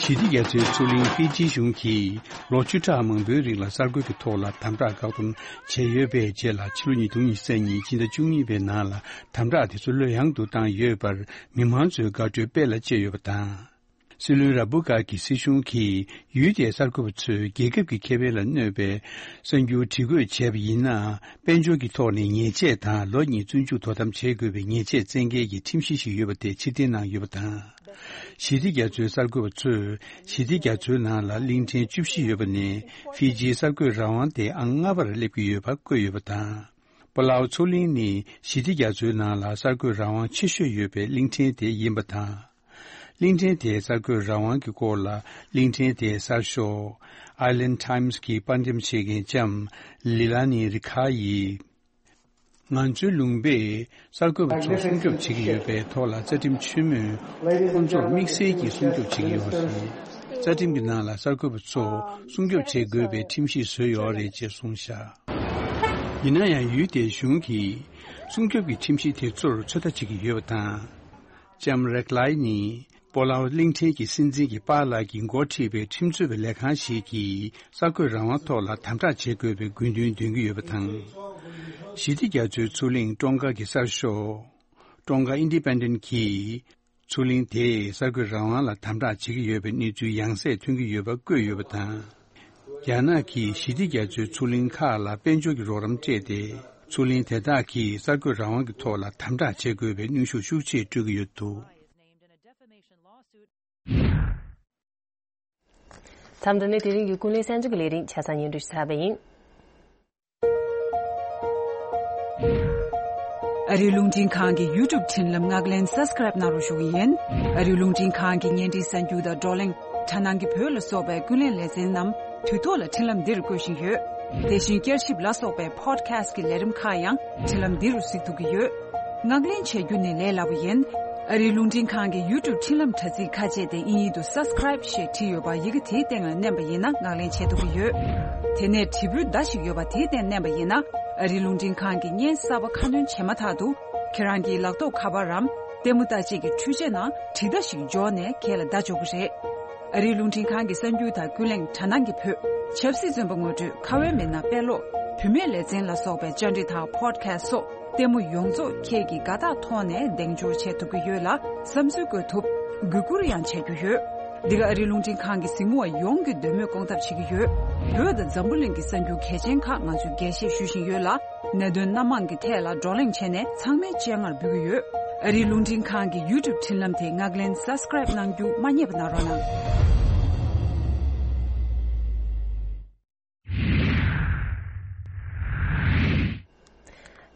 ཞི་བདེ་རྒྱ་མཚོའི་མཚོ་གླིང་ཧྥི་ཇི་གཞུང་གིས་ལོ་བཅུ་ཕྲག་མང་པོའི་རིང་ལ་གསར་འགོད་ཀྱི་ཐོག་ལ་དམ་དྲག་བཀག་སྡོམ་བྱས་ཡོད་པའི་རྗེས་ལ། ཕྱི་ལོ་ཉིས་སྟོང་ཉི་ཤུ་རྩ་གཉིས་ཕྱི་ཟླ་བཅུ་གཉིས་པའི་ནང་ལ་དམ་དྲག་དེ་ཚོ་ལྷོད་ཡངས་དུ་བཏང་ཡོད་པར་མི་མང་ཚོས་དགའ་སྤྲོའི་དཔལ་ལ་སྤྱད་ཡོད་པ་དང་། སྲིད་བློན་ར་བུ་གྷ་གི་སྲིད་གཞུང་གིས་ཡུལ་དེའི་གསར་འགོད་པ་ཚོས་རྒྱལ་ཁབ་ཀྱི་ཁེ་ཕན་ལ་གནོད་པའི་གསར་འགྱུར་བྲིས་འགོད་བྱས་པ་ཡིན་ན། དཔལ་འབྱོར་གྱི་ཐོག་ནས་ཉེས་ཆད་དང་ལོ་གཉིས་བཙོན་འཇུག་དོ་དམ་བྱེད་དགོས་པའི་ཉེས་ཆད་བཙན་འགེལ་གྱི་ཁྲིམས་གཞི་ཞིག་ཡོད་པ་དེ་ཕྱིར་འཐེན་གནང་ཡོད་པ་དང་། ཞི་བདེ་རྒྱ་མཚོའི་གསར་འགོད་པ་ཚོས་ཞི་བདེ་རྒྱ་མཚོའི་ནང་ལ་གླིང་ཕྲན་བཅུ་བཞི་ཡོད་པ་ནས་ཧྥི་ཇིའི་གསར་འགོད་རང་དབང་དེ་ཨང་ལྔ་པར་སླེབས་ཀྱི་ཡོད་པ་བཀོད་ཡོད་པ་དང་། པ་ལའོ་མཚོ་གླིང་ནི་ཞི་བདེ་རྒྱ་མཚོའི་ནང་ལ་གསར་འགོད་རང་དབང་ཆེ་ཤོས་ཡོད་པའི་གླིང་ཕྲན་དེ་ཡིན་པ་དང་། གླིང་ཕྲན་དེའི་གསར་འགོད་རང་དབང་གི་སྐོར་ལ་གླིང་ཕྲན་དེའི་གསར་ཤོག Island Times གི་དཔར་འགྲེམས་བྱེད་མཁན་ལྕམ་ལི་ལ་ནི་རི་ཁ་ཡིས། ང་ཚོའི་ལུང་པས་གསར་འགོད་པ་ཚོ་སྲུང་སྐྱོབ་བྱེད་ཀྱི་ཡོད་པའི་ཐོག་ལ་རྩ་ཁྲིམས་ཆེན་མོས་ཁོང་ཚོར་དམིགས་བསལ་གྱིས་སྲུང་སྐྱོབ་བྱེད་ཀྱི་ཡོད་རེད། རྩ་ཁྲིམས་ཀྱི་ནང་ལ་གསར་འགོད་པ་ཚོ་སྲུང་སྐྱོབ་བྱེད་དགོས་པའི་ཁྲིམས་གཞི་བཟོས་ཡོད་རེད་ཅེས་གསུངས་བཞག་ཡིན་ན་ཡང་ཡུལ་དེའི་གཞུང་གིས་སྲུང་སྐྱོབ་ཀྱི་ཁྲིམས་གཞི་དེ་ཚོར་ཚོད་ལྟ་བྱེད་ཀྱི་ཡོད་པ་དང་། ལྕམ་རེག་ལའི་ནི་པོ་ལའོ་གླིང་ཕྲན་གྱི་སྲིད་འཛིན་གྱི་པཱ་ལགས་ཀྱིས་འགོ་ཁྲིད་པའི་ཁྲིམས་རྩོད་པའི་ལས་ཁང་ཞིག་གིས་གསར་འགོད་རང་དབང་ཐོག་ལ་དམ་དྲག་བྱེད་དགོས་པའི་དགོས་འདུན་འདོན་གྱི་ཡོད་པ་དང་། ཞི་བདེ་རྒྱ་མཚོའི་མཚོ་གླིང་ཀྲོང་ཀ་གི་གསར་ཤོག་ཀྲོང་ཀ་ཨིན་ཌི་པེན་ཌེན་གྱིས་མཚོ་གླིང་དེས་གསར་འགོད་རང་དབང་ལ་དམ་དྲག་བྱེད་ཀྱི་ཡོད་པའི་གནས་ཚུལ་ཡང་སེ་ཐོན་གྱི་ཡོད་པ་བཀོད་ཡོད་པ་དང་། རྒྱ་ནག་གིས་ཞི་བདེ་རྒྱ་མཚོའི་མཚོ་གླིང་ཁག་ལ་དཔལ་འབྱོར་གྱི་རོགས་རམ་སྤྲད་དེ། མཚོ་གླིང་དེ་དག་གིས་གསར་འགོད་རང་དབང་གི་ཐོག་ལ་དམ་དྲག་བྱེད་དགོས་པའི་གནོན་ཤུགས་ཤུགས་ཆེ་སྤྲོད་ཀྱི་ཡོད་འདུག་མཚམས་འདི་ནས་དེ་རིང་གི་ཀུན་གླེང་གསར་འགྱུར་གྱི་ལས་རིམ་ཆ་ཚང་སྙན་སྒྲོན་ཞུ་ཚར་བ་ཡིན། ཨ་རིའི་རླུང་འཕྲིན་ཁང་གི་YouTube་འཕྲིན་ལམ་ངག་ལེན་སབ་སི་ཀ་རེབ་གནང་རོགས་ཞུ་གི་ཡིན། ཨ་རིའི་རླུང་འཕྲིན་ཁང་གི་བརྙན་འཕྲིན་གསར་འགྱུར་དང་བགྲོ་གླེང་། དྲ་སྣང་གི་བོད་ལ་སོགས་པའི་ཀུན་གླེང་ལེ་ཚན་རྣམས་དུས་ཐོག་ལ་འཕྲིན་ལམ་འདིར་བཀོད་བཞིན་ཡོད། དེ་བཞིན་བསྐྱར་ཞིབ་ལ་སོགས་པའི་Podcast་གི་ལས་རིམ་ཁག་ཡང་འཕྲིན་ལམ་འདི་རུ་གཟིགས་ཐུབ་ཀྱི་ཡོད། ངག་ལེན་བྱ་རྒྱུ་ནི་ལས་སླ་པོ་ཡིན། ཨ་རིའི་རླུང་འཕྲིན་ཁང་གི་YouTube་འཕྲིན་ལམ་དྲ་ཚིགས་ཁ་ཕྱེ་སྟེ་དབྱིན་ཡིག་ཏུ་Subscribe་ཞེས་བྲིས་ཡོད་པ་ཡི་གེ་དེའི་སྟེང་ལ་མནན་པ་ཡིན་ན་ངག་ལེན་བྱེད་ཐུབ་ཀྱི་ཡོད། དེ་ནས་དྲིལ་བུའི་མདའ་ཞིག་ཡོད་པ་དེའི་སྟེང་མནན་པ་ཡིན་ན། ཨ་རིའི་རླུང་འཕྲིན་ཁང་གི་བརྙན་གསར་པ་ཁ་སྣོན་བྱས་མ་ཐག་ཏུ། ཁྱེད་རང་གི་ལག་ཐོགས་ཁ་པར་རམ། ལྟད་མོ་ལྟ་བྱེད་ཀྱི་འཕྲུལ་ཆས་ནང་དྲིལ་བརྡ་ཞིག་འབྱོར་ནས་ཁྱེད་ལ་བརྡ་འབྱོར་གྱི་རེད། ཨ་རིའི་རླུང་འཕྲིན་ཁང་གི་གསར་འགྱུར་དང་ཀུན་གླེང་དྲ་སྣང་གི་བོད། ཆབ་སྲིད་བཙོན་པ་ངོ་སྤྲོད་ཁ་བའི་མི་སྣ་དཔེ་ཀློག་བུད་མེད་ལེ་ཚན་ལ་སོགས་པའི་བཅར་འདྲི་དང་Podcast་སོགས་ལྟད་མོ་ཡོངས་རྫོགས་ཁྱེད་ཀྱིས་དགའ་རྟགས་ཐོག་ནས་གདེང་འཇོག་བྱེད་ཐུབ་ཀྱི་ཡོད་ལ་བསམ་ཚུལ་བཀོད་ཐུབ། གུས་བཀུར་ཡང་བྱ་རྒྱུ་ཡོད། འདི་ག་ཨ་རིའི་རླུང་འཕྲིན་ཁང་གི་གཟིགས་མོ་བ་ཡོངས་ཀྱི་འདོད་མོས་སྐོང་ཐབས་བྱེད་ཀྱི་ཡོད། བོད་དང་འཛམ་བུ་གླིང་གི་གསར་འགྱུར་གལ་ཆེན་ཁག་ང་ཚོས་རྒྱས་བཤད་ཞུ་བཞིན་ཡོད་ལ། གནད་དོན་སྣ་མང་གི་ཐད་ལ་བགྲོ་གླེང་བྱས་ནས་ཚང་མའི་སྤྱན་སྔར་འབུལ་གྱི་ཡོད། ཨ་རིའི་རླུང་འཕྲིན་ཁང་གི་YouTube་འཕྲིན་ལམ་དེ་ངག་ལེན་Subscribe་གནང་རྒྱུ་མ་བསྙེལ་བ་གནང་རོགས་གནང་།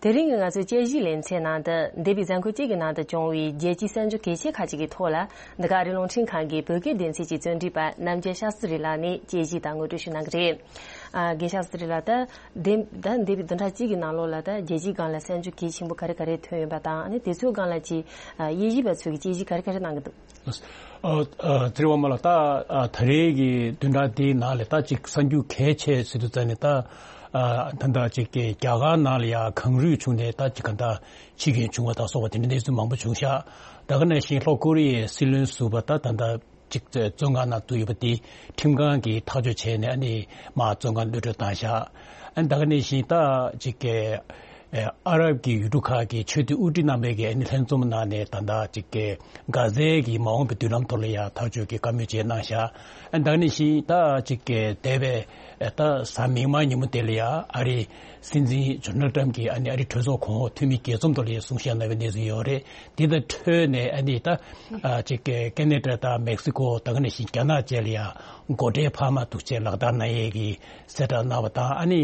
དེ་རིང་གི་ང་ཚོའི་དཔྱད་གཞིའི་ལེ་ཚན་ནང་དུ་འདས་པའི་གཟའ་འཁོར་གཅིག་གི་ནང་དུ་བྱུང་བའི་རྒྱལ་སྤྱིའི་གསར་འགྱུར་གལ་ཆེ་ཁག་ཅིག་གི་ཐོག་ལ་འདི་ག་ཨ་རིའི་རླུང་འཕྲིན་ཁང་གི་བོད་སྐད་སྡེ་ཚན་གྱི་བརྩོན་འགྲུས་པ་རྣམ་རྒྱལ་ཤཱསྟྲི་ལགས་ནས་དཔྱད་གཞི་དང་ངོ་སྤྲོད་ཞུ་གནང་གི་རེད། ཨ་རྒན་ཤཱསྟྲི་ལགས། ད་འདས་ད་འདས་པའི་བདུན་ཕྲག་གཅིག་གི་ནང་ལོགས་ལ་ད་རྒྱལ་སྤྱིའི་སྒང་ལ་གསར་འགྱུར་གལ་ཆེན་པོ་ག་རེ་ག་རེ་ཐོན་ཡོད་པ་དང་། ཨ་ནི་དེ་ཚོའི་སྒང་ལ་ཅིག་ཨ་དབྱེ་ཞིབ་པ་ཚོས་ཀྱི་དཔྱད་གཞི་ག་རེ་ག་རེ་གནང་གི་འདུག་ཨ་ཨ་ཚེ་རིང་དབང་མོ་ལགས། ད་ཨ་ད་རེས་ཀྱི་བདུན་ཕྲག་འདིའི་ནང་ལ་ད་ཅིག་གསར་འགྱུར་གལ་ཆེ་ཟེར་དུས་ཙམ་ནས་ད་ཨ་ད་ད་ཅིག་གི་རྒྱ་གར་ནང་ལ་ཡ་གངས་རུད་བྱུང་ནས་ད་ཅིག་ག་ད་འཆི་རྐྱེན་བྱུང་བ་དང་སོགས་པ་དེ་འདྲ་གནས་ཚུལ་མང་པོ་བྱུང་ཤག་ད་ག་ནང་བཞིན་ལྷོ་ཀོ་རི་ཡའི་སྲིད་བློན་ཟུར་པ་ད་ད་ད་ཅིག་བཙོན་ཁང་ནང་བསྡད་ཡོད་པ་དེ་ཁྲིམས་ཁང་གིས་ཐག་གཅོད་བྱས་ནས་ཨ་ནི་མར་བཙོན་ཁང་གློད་གྲོལ་བཏང་ཤག་ཨ་ནི་ད་ག་ནང་བཞིན་ད་ཅིག་གི་ཨ་རབ་ཀྱི་ཡུལ་གྲུ་ཁག་གི་ཆོས་དད་དབུ་ཁྲིད་རྣམ་པས་ཀྱི་ཨ་ནི་ལྷན་འཛོམས་ནང་ནས་ད་ལྟ་ཅིག་གི་གྷ་ཛའི་གི་མ་འོངས་པའི་མདུན་ལམ་ཐོག་ལ་ཡང་ཐག་གཅོད་ཀྱི་བཀའ་མོལ་བཅས་གནང་ཤག་ཨ་ནི་ད་ག་ནང་བཞིན་ད་ཅིག་གི་འདས་པའི་ད་གཟའ་མིག་དམར་ཉིན་མོ་དེ་ལ་ཡང་ཨ་རིའི་སྲིད་འཛིན་ཌོ་ནལ་ཌི་ཊམ་གྱིས་ཨ་ནི་ཨ་རིའི་གྲོས་ཚོགས་གོང་འོག་འཐུས་མི་རྒྱས་འཛོམས་ཐོག་ལ་ཡང་གསུང་བཤད་གནང་བའི་གནས་ཚུལ་ཡོད་རེད། དེ་དང་འཕྲོས་ནས་ཨ་ནི་ད་ཨ་ཅིག་གི་ཀེ་ན་ཌ་དང་མེག་སི་ཀོ་ད་ག་ནང་བཞིན་རྒྱ་ནག་བཅས་ལ་ཡང་སྒོ་ཁྲལ་འཕར་མ་འདུག་ཅེས་ལག་བསྟར་གནང་ཡས་ཀྱི་གསལ་བསྒྲགས་གནང་བ་དང་། ཨ་ནི་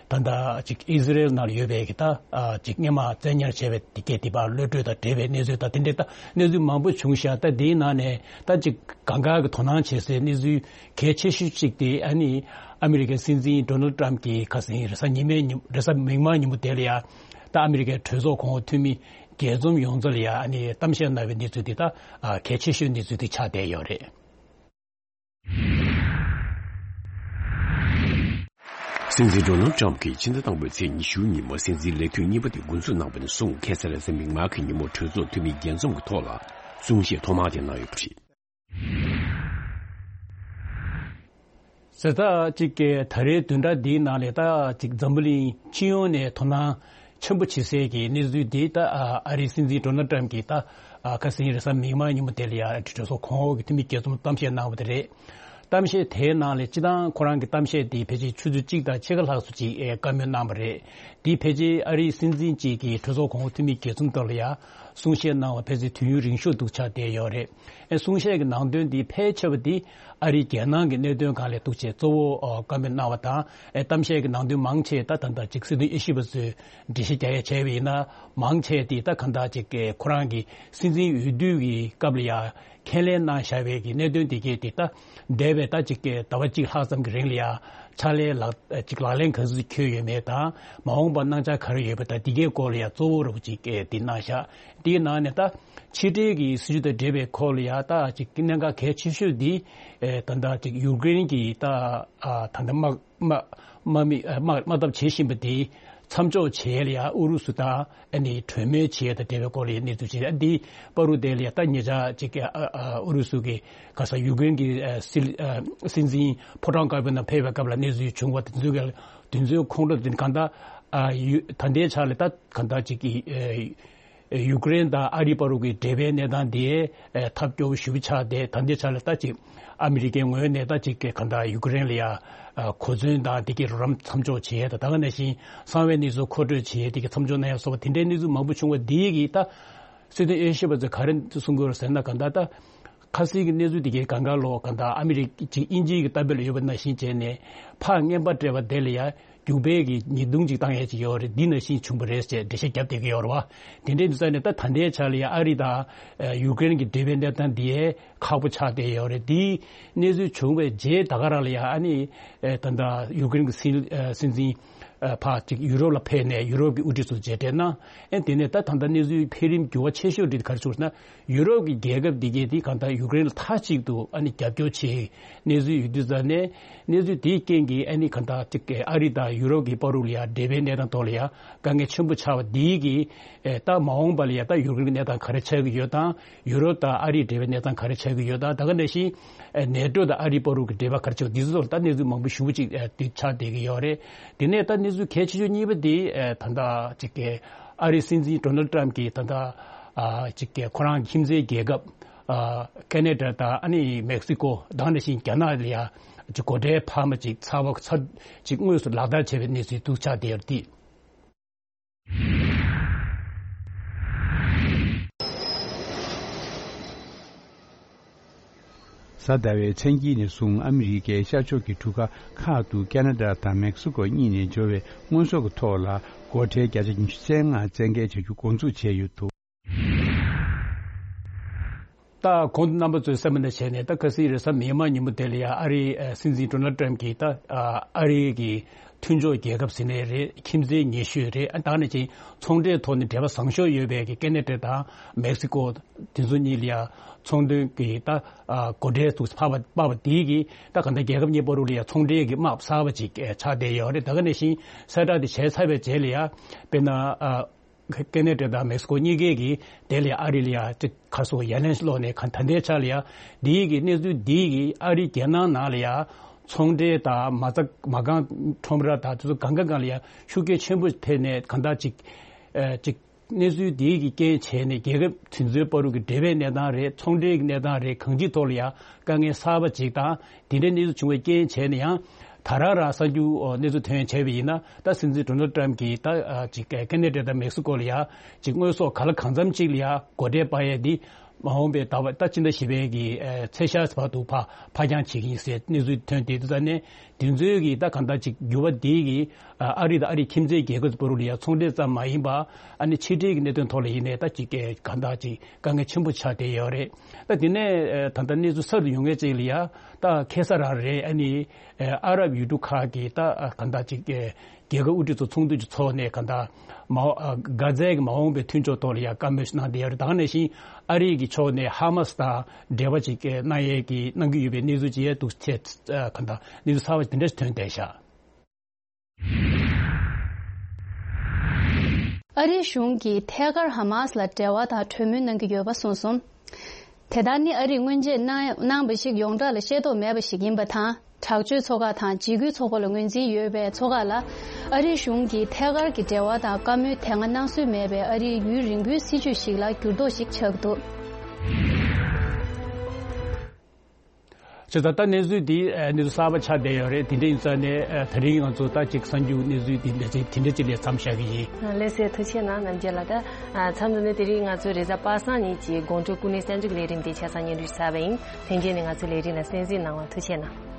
ད་ལྟ་ཅིག་ཨི་ཟི་རེལ་ནང་ལ་ཡོད་པའི་གི་ད་ཨ་ཅིག་སྔོན་མ་བཙན་ཉར་བྱས་པའི་དེ་གས་དེ་ཕར་གློད་གྲོལ་དང་འབྲེལ་བའི་གནས་ཚུལ་དང་དེ་འདྲའི་ད་གནས་ཚུལ་མང་པོ་བྱུང་ཤག་ད་དེའི་ནང་ནས་ད་ཅིག་གང་ག་གི་དོ་སྣང་བྱེད་སའི་གནས་ཚུལ་གལ་ཆེ་ཤོས་གཅིག་དེ་ཨ་ནི་ཨ་མི་རི་ཀའི་སྲིད་འཛིན་ཌོ་ནལ་ཌི་ཊམ་གྱིས་ཁ་སང་རེས་གཟའ་ཉི་མའི་ཉིན་རེས་གཟའ་མིག་དམར་ཉིན་མོ་དེ་ལ་ཡ་ད་ཨ་མི་རི་ཀའི་གྲོས་ཚོགས་གོང་འོག་འཐུས་མི་རྒྱས་འཛོམས་ཡོངས་རྫོགས་ལ་ཡ་ཨ་ནི་གཏམ་བཤད་གནང་བའི་གནས་ཚུལ་དེ་ད་ཨ་གལ་ཆེ་ཤོས་གནས་ཚུལ་དེ་ཆགས་བསྡད་ཡོད་རེད། སྲིད་འཛིན་ཌོ་ནལ་ཌི་ཊམ་གྱིས་ཕྱི་ཟླ་དང་པོའི་ཚེས་ཉི་ཤུ་ཉིན་མོ་སྲིད་འཛིན་ལས་དུས་གཉིས་པ་དེ་འགོ་འཛུགས་གནང་བ་ནས་བཟུང་ཁ་སང་རེས་གཟའ་མིག་དམར་གྱི་ཉིན་མོ་གྲོས་ཚོགས་འཐུས་མི་རྒྱས་འཛོམས་ཀྱི་ཐོག་ལ་གསུང་བཤད་ཐོག་མ་དེ་གནང་ཡོད་པ་རེད། ཟེར་ད་ཅིག་གི་ད་རེས་བདུན་ཕྲག་འདིའི་ནང་ལ་ད་ཅིག་འཛམ་བུ་གླིང་སྤྱི་ཡོངས་ནས་དོ་སྣང་ཆེན་པོ་བྱེད་སའི་གི་གནས་ཚུལ་འདི་ད་ཨ་རིའི་སྲིད་འཛིན་ཌོ་ནལ་ཌི་ཊམ་གྱིས་ད་ཨ་ཁ་སང་རེས་གཟའ་མིག་དམར་ཉིན་མོ་དེ་ལ་ཡ་གྲོས་ཚོགས་གོང་འོག་གི་འཐུས་མི་རྒྱས་འཛོམས་གཏམ་བཤད་གནང་བ་དེ་རེད། གཏམ་བཤད་དེའི་ནང་ལ་སྤྱི་བཏང་ཁོ་རང་གི་གཏམ་བཤད་དེ་ཕལ་ཆེར་ཆུ་ཚོད་གཅིག་དང་ཕྱེད་ཀ་ལྷག་ཙམ་ཅིག་ཨེ་བཀའ་མོལ་གནང་བ་རེད། དེ་ཕལ་ཆེར་ཨ་རིའི་སྲིད་འཛིན་གཅིག་གིས་གྲོས་ཚོགས་གོང་འོག་འཐུས་མི་གྱ་གསུམ་ཐོག་ལ་ཡང་གསུང་བཤད་གནང་བ་ཕལ་ཆེར་དུས་ཡུན་རིང་ཤོས་འདུག་ཆགས་བསྡད་ཡོད་རེད། ཨེ་གསུང་བཤད་ཀྱི་ནང་དོན་དེ་ཕལ་ཆེ་བ་དེ་ཨ་རིའི་རྒྱལ་ནང་གི་གནད་དོན་སྒང་ལ་འདུག་ཅེས་གཙོ་བོ་ཨོ་བཀའ་མོལ་གནང་བ་དང་། ཨེ་གཏམ་བཤད་ཀྱི་ནང་དོན་མང་ཆེ་ད་ད་ལྟ་ཅིག་སྲིད་དོན་དབྱེ་ཞིབ་པ་ཚོས་འགྲེལ་བཤད་རྒྱག་ཡ་བྱས་པ་ཡིན་ན། མང་ཆེ་དེ་ད་གང་ལྟར་ཅིག་ཁོ་རང་གི་སྲིད་འཛིན་འོས་བསྡུ་གི་སྐབས་ལ་ཡང་ཁས་ལེན་གནང་བཞག་པའི་གི་གནད་དོན་དེ་གས་དེ་ད་འདས་པའི་ད་ཅིག་གི་ཟླ་བ་གཅིག་ལྷག་ཙམ་གྱི་རིང་ལ་ཡང་ཕྱག་ལས་ལག་ཅིག་ལག་ལེན་ག་ཚོད་འཁྱོལ་ཡོད་མེད་དང་། མ་འོངས་པར་གནང་འཆར་ག་རེ་ཡོད་པ་དང་། དེ་གའི་སྐོར་ལ་ཡང་གཙོ་བོ་རུ་ཅིག་གི་དེ་གནང་བཞག་དེའི་ནང་ནས་ད་ཕྱི་འབྲེལ་གྱི་སྲིད་ཇུས་དང་འབྲེལ་བའི་སྐོར་ལ་ཡང་ད་ཅིག་གནད་འགག་གལ་ཆེ་ཤོས་འདི་ཨེ་ད་ད་ཅིག་ཡུཀ་རེན་གྱི་ད་ཨ་ད་ད་དམག་དམག་དམག་མི་ཨ་དམག་དམག་འཐབ་བྱེད་བཞིན་པ་དེ་མཚམས་འཇོག་བྱེད་ཡས་ལ་ཡང་ཨུ་རུ་སུ་དང་ཨ་ནི་གྲོས་མོལ་བྱེད་ཡས་དང་འབྲེལ་བའི་སྐོར་ལ་ཡང་གནས་ཚུལ་བྱེད་ཡས། འདི་བར་དུ་དེ་ལ་ཡང་ད་ཉེ་ཆར་ཅིག་གི་ཨ་ཨ་ཨུ་རུ་སུ་གི་ག་ས་ཡུཀ་རེན་གྱི་ཨ་སྲིད་ཨ་སྲིད་འཛིན་ཕོ་བྲང་དཀར་པོའི་ནང་ཕེབས་པའི་སྐབས་ལ་གནས་ཚུལ་བྱུང་བ་དེ་ཚོའི་ག་དེ་ཚོའི་ཁོངས་གཏོགས་དེ་གང་ལྟར་ཨ་ཡུ་ད་ལྟའི་ཆ་ལ་ད་གང་ལྟར་ཅིག་གི་ཨ་ཡུཀ་རེན་དང་ཨ་རི་བར་དུ་གི་འབྲེལ་བའི་གནས་སྟངས་དེ་ཨ་ཐབས་སྐྱོ་བོ་ཞེ་པོ་ཆགས་ཏེ། ད་ལྟའི་ཆ་ལ་ད་ཅིག་ཨ་མི་རི་ཀའི་ངོས་ནས་ད་ཅིག་གི་གང་ལྟར་ཡུཀ་རེན་ལ་ཡ་ཨ་གོ་མཚོན་དང་དེ་གའི་རོགས་རམ་མཚམས་འཇོག་བྱེད་ཡས་དང་། ད་ག་ནང་བཞིན་གསང་བའི་གནས་ཚུལ་མཁོ་སྤྲོད་བྱེད་ཡས་དེ་གའི་མཚམས་འཇོག་གནང་ཡས་སོགས་པ་དེ་འདྲའི་གནས་ཚུལ་མང་པོ་བྱུང་བ་དེ་གིས་ད་སྲིད་དོན་དབྱེ་ཞིབ་པ་ཚོས་ག་རེ་གསུང་གི་ཡོད་ཟེར་ན། གང་ལྟར་ད་ཁ་སང་གི་གནས་ཚུལ་དེ་གའི་སྒང་ག་ལོ་གང་ལྟར་ཨ་མི་རི་ཀ་ཅིག་དབྱིན་ཇིའི་གི་ལྟ་བ་ལ་ཡོད་པ་ནང་བཞིན་བྱས་ནས་ཕར་རྔན་པ་སྤྲད་པ་དེ་ལ་ཡ་རྒྱུག་པའི་གི་ཉེས་རྡུང་ཅིག་བཏང་ཡས་ཅིག་ཡོད་རེད། འདི་ནང་བཞིན་བྱུང་བ་རེད་ཅེས་འགྲེལ་བཤད་བརྒྱབ་བསྡད་ཀྱི་ཡོད་རེད་བ། དེ་འདྲའི་དུས་ཙ་ནས་ད་ད་ལྟའི་ཆ་ལ་ཡ་ཨ་རི་དང་ཡུཀ་རེན་གྱི་འབྲེལ་བའི་གནས་སྟངས་འདི་ཡས་ཁག་པོ་ཆགས་བསྡད་ཡོད་རེད། འདིའི་གནས་ཚུལ་བྱུང་བའི་རྗེས་ད་ག་རང་ལ་ཡ་ཨ་ནི་ད་ལྟ་ཡུཀ་རེན་གྱི་སྲིད་སྲིད་འཛིན་ཕར་ཅིག་ཡུ་རོབ་ལ་ཕེབས་ནས་ཡུ་རོབ་ཀྱི་དབུ་ཁྲིད་ཚོ་མཇལ་འཕྲད་གནང་། ཨ་དེ་ནས་ད་ད་ལྟ་གནས་ཚུལ་འཕེལ་རིམ་འགྱུར་བ་ཆེ་ཤོས་འདི་ག་རེ་བྱུང་ཟེར་ན། ཡུ་རོབ་ཀྱི་རྒྱལ་ཁབ་འདི་གས་འདི་གང་ལྟར་ཡུཀ་རེན་ལ་མཐའ་གཅིག་ཏུ་ཨ་ནི་རྒྱབ་སྐྱོར་བྱེད་གནས་ཚུལ་ཡོད་དུས་ཙ་ནས། གནས་ཚུལ་དེའི་རྐྱེན་གྱིས་ཨ་ནི་གང་ལྟར་ཅིག་ཨ་རི་དང་ཡུ་རོབ་ཀྱི་བར་དུ་ལ་ཡ་འབྲེལ་བའི་གནས་སྟངས་ཐོག་ལ་ཡ་དཀའ་ངལ་ཆེན་པོ་ཆགས་པ་འདི་གིས་ཨེ་ད་མ་འོངས་པ་ལ་ཡ་ད་ཡུཀ་རེན་གྱི་གནས་སྟངས་ག་རེ་ཆགས་ཀྱི་ཡོད་དང་། ཡུ་རོབ་དང་ཨ་རིའི་འབྲེལ་བའི་གནས་སྟངས་ག་རེ་ཆགས་ཀྱི་ཡོད་དང་། ད་ག་ནང་བཞིན་ཨེ་ནེ་ཊོ་དང་ཨ་རིའི་བར་དུ་གི་འབྲེལ་བ་ག་རེ་ཆགས་འདི་ཚོ་ལ་ད་གནས་ཚུལ་མང་པོ་ཞེ་པོ་ཅིག་ཨེ་དེ་ཆགས་བསྡད་ཀྱི་ཡོད་རེད། དེ་ནས་ད་གནས་ཚུལ་གལ་ཆེ་ཤོས་གཉིས་པ་དེ་ཨེ་ད་ལྟ་ཅིག་གི་ཨ་རིའི་སྲིད་འཛིན་ཌོ་ནལ་ཊམ་གྱིས་ད་ལྟ་ཨ་ཅིག་གི་ཁོ་རང་ཁྱིམ་མཚེས་རྒྱལ་ཁབ་ཨ་ཁེ་ན་ཌ་དང་ཨ་ནི་མེག་སི་ཀོ་དང་ནང་བཞིན་རྒྱ་ནག་ལ་ཡ་ཅིག་སྒོ་ཁྲལ་འཕར་མ་ཅིག་ཚ་བ་ཚ་ཅིག་དངོས་སུ་ལག་བསྟར་བྱས་པའི་གནས་ཚུལ་འདུག་ཆགས་བསྡད་ཡོད་རེད། གཟའ་ཟླ་བའི་མཚན་དཀྱིལ་ནས་བཟུང་ཨ་མི་རི་ཀའི་ཤར་ཕྱོགས་ཀྱི་གྲུ་ཁ་ཁག་ཏུ་ཁེ་ན་ཌ་དང་མེག་སི་ཀོ་གཉིས་ནས་འབྱོར་བའི་དངོས་ཟོག་གི་ཐོག་ལ་སྒོ་ཁྲལ་བརྒྱ་ཆ་ཉི་ཤུ་རྩ་ལྔ་བཙན་འགེལ་བྱ་རྒྱུ་འགོ་འཛུགས་བྱས་ཡོད་འདུག་ད་གོང་དུ་རྣམ་པ་ཚོས་གསན་པ་ནང་བཞིན་ནས། ད་ཁ་སང་རེས་གཟའ་མིག་དམར་ཉིན་མོ་དེ་ལ་ཡ་ཨ་རིའི་ཨ་སྲིད་འཛིན་ཌོ་ནལ་ཊམ་གྱིས་ད་ཨ་ཨ་རི་གི་མཐུན་ཕྱོགས་རྒྱལ་ཁབ་ཟེར་ནའི་རེད། ཁྱིམ་མཚེས་ཉེ་ཤོས་རེད། ཨ་ད་ནང་བཞིན་ཚོང་འབྲེལ་ཐོག་ནས་འབྲེལ་བ་བཟང་ཤོས་ཡོད་པའི་གི་ཁེ་ན་ཌ་དང་མེག་སི་ཀོ་དེ་ཚོ་གཉིས་ལ་ཡ་ཚོང་དོན་གྱི་ད་ཨ་སྒོ་ཁྲལ་དུ་ཕབ་པ་ཕབ་པ་དེ་གིས་ད་གང་ལྟར་རྒྱལ་ཁབ་གཉིས་བར་དུ་ལ་ཡ་ཚོང་འབྲེལ་གྱི་དམག་གསར་པ་ཅིག་ཨ་ཆགས་བསྡད་ཡོད་རེད། ད་ག་ནང་བཞིན་གསལ་བསྒྲགས་དེ་བྱས་ཚར་བའི་རྗེས་ལ་ཡ་དཔེར་ན་ཨ། ཁེ་ན་ཌ་དང་མེག་སི་ཀོ་གཉིས་ཀས་ཀྱིས་དེ་ལ་ཨ་རི་ལ་ཡ་ཅིག་ག་སོ་ཡ་ལན་སློག་ནས་ག་ད་ལྟའི་ཆ་ལ་ཡ་འདིའི་གི་གནས་ཚུལ་འདིའི་གི་ཨ་རི་རྒྱལ་ནང་ནང་ལ་ཡ་ཚོང་འབྲེལ་དང་མ་རྩ་མ་རྐང་ཁྲོམ་ར་དང་དེ་ཚོ་གང་ག་སྒང་ལ་ཡ་ཤུགས་རྐྱེན་ཆེན་པོ་ཕེབས་ནས་གང་ལྟར་ཅིག་ཨ་ཅིག་གནས་ཚུལ་འདིའི་གི་རྐྱེན་བྱས་ནས་རྒྱལ་ཁབ་དེ་ཚོའི་བར་དུ་གི་འབྲེལ་བའི་གནས་སྟངས་རེད། ཚོང་འབྲེལ་གྱི་གནས་སྟངས་རེད། གང་ཅིའི་ཐོག་ལ་ཡ་དཀའ་ངལ་གསར་པ་ཅིག་དང་། དེ་འདྲའི་གནས་ཚུལ་བྱུང་བའི་རྐྱེན་བྱས་ནས་ཡང་། ད་རང་རང་གསར་འགྱུར་གནས་ཚུལ་ཐོན་བྱས་པ་ཡིན་ན། ད་སྲིད་འཛིན་ཌོ་ནལ་ཊམ་གྱིས་ད་ཅིག་ཁེ་ན་ཌ་དང་མེག་སི་ཀོ་ལ་ཡ་ཅིག་དངོས་ཟོག་ག་ལ་གང་འཚམ་ཅིག་ལ་ཡ་སྒོ་ཁྲལ་སྤར་ཡས་འདི་མ་འོངས་པའི་ཟླ་བ་ད་ཕྱི་ཟླ་བཞི་པའི་གི་ཚེས་ཤར་བར་དུ་ཕར་ཕར་འགྱངས་བྱེད་ཀྱི་ཡིན་ཟེར་གནས་ཚུལ་ཐོན་ཏེ། དེ་ཙང་ནས་དེ་ཚོའི་གི་ད་གང་ལྟར་ཅིག་འགྱུར་བ་འདི་གི་ཨ་རི་དང་ཨ་རིའི་ཁྱིམ་མཚེས་རྒྱལ་ཁབ་བར་དུ་ལ་ཡ་ཚོང་འབྲེལ་ཙམ་མ་ཡིན་པ། ཨ་ནི་ཕྱི་འབྲེལ་གྱི་གནད་དོན་ཐོག་ལ་ཡིན་ནའི་ད་ཅིག་གང་ལྟར་ཅིག་དཀའ་ངལ་ཆེན་པོ་ཆགས་བསྡད་ཡོད་རེད། ད་དེ་ནས་ད་ལྟ་གནས་ཚུལ་གསར་དུ་ཡོང་མཁན་ཅིག་ལ་ཡ། ད་ཁ་སང་རང་རེད། ཨ་ནི་ཨ་རབ་ཡུལ་གྲུ་ཁག་གི་ད་གང་ལྟར་ཅིག་རྒྱལ་ཁབ་དབུ་ཁྲིད་ཚོ་ཚོགས་འདུ་ཅིག་ཚོགས་ནས་གང་ལྟར་མ་འོ་གྷ་ཛའི་གི་མ་འོངས་པའི་མཐུན་ཕྱོགས་ཐོག་ལ་ཡ་བཀའ་མོལ་ཞིག་གནང་བསྡད་ཡོད་རེད། ད་ག་ནང་བཞིན་ཨ་རི་གི་ཕྱོགས་ནས་ཧ་མ་སི་དང་འབྲེལ་བ་ཅིག་གནང་ཡས་ཀྱི་གནང་གི་ཡོད་པའི་གནས་ཚུལ་ཅིག་ཡ་འདུག་ཅེས་གང་ལྟར་གནས་ཚུལ་གསར་པ་དེ་འདྲ་ཞིག་ཐོན་བསྡད་ཤག་ཨ་རིའི་གཞུང་གིས་ཐད་ཀར་ཧ་མ་སི་ལ་འབྲེལ་བ་དང་གྲོས་མོལ་གནང་གི་ཡོད་པ་གསུངས་སོང་། དེ་ལྟར་ནི་ཨ་རིས་སྔོན་ཆད་གནང་གནང་བ་ཞིག་ཡོངས་གྲགས་ལ་ཤེས་རྟོགས་མེད་པ་ཞིག་ཡིན་པ་དང་། དྲག་སྤྱོད་ཚོགས་ཁག་དང་འཇིགས་སྐུལ་ཚོགས་པ་ལ་ངོས་འཛིན་ཡོད་པའི་ཚོགས་ཁག་ལ་ཨ་རིའི་གཞུང་གིས་ཐད་ཀར་གྱི་འབྲེལ་བ་དང་བཀའ་མོལ་དེ་སྔ་གནང་སྲོལ་མེད་པའི་ཨ་རིའི་ཡུན་རིང་པོའི་སྲིད་བྱུས་ཤིག་ལ་འགྱུར་ལྡོག་ཞིག་ཆགས་འདུག་བྱས་ཙང་ད་གནས་ཚུལ་འདི་ཨ་གནས་ཚུལ་གསར་པ་ཆགས་བསྡད་ཡོད་རེད། དེ་འདྲ་ཡིན་ཙང་ནས་ཨ་དེ་རིང་ང་ཚོ་ད་ཅིག་གསར་འགྱུར་གནས་ཚུལ་འདི་འདྲ་ཅིག་དེ་འདྲ་ཅིག་ལ་མཚམས་བཞག་གི་ཡིན། ལགས་སོ། ཐུགས་རྗེ་གནང་རྣམ་རྒྱལ་ལགས། ད་མཚམས་འདི་ནས་དེ་རིང་ང་ཚོའི་རེས་གཟའ་པ་སངས་ཉིན་གྱི་དགོང་དྲོ་སྐུ་ངལ་གསར་འགྱུར་ལས་རིམ་དེ་ཆ་ཚང་སྙན་སྒྲོན་ཞུས་པ་ཡིན། ལྷན་རྒྱས་ནས་ང་ཚོའི་ལས་རིམ་ལ་གསན་གཟིགས་གནང་བར་ཐུགས་རྗེ་གནང་།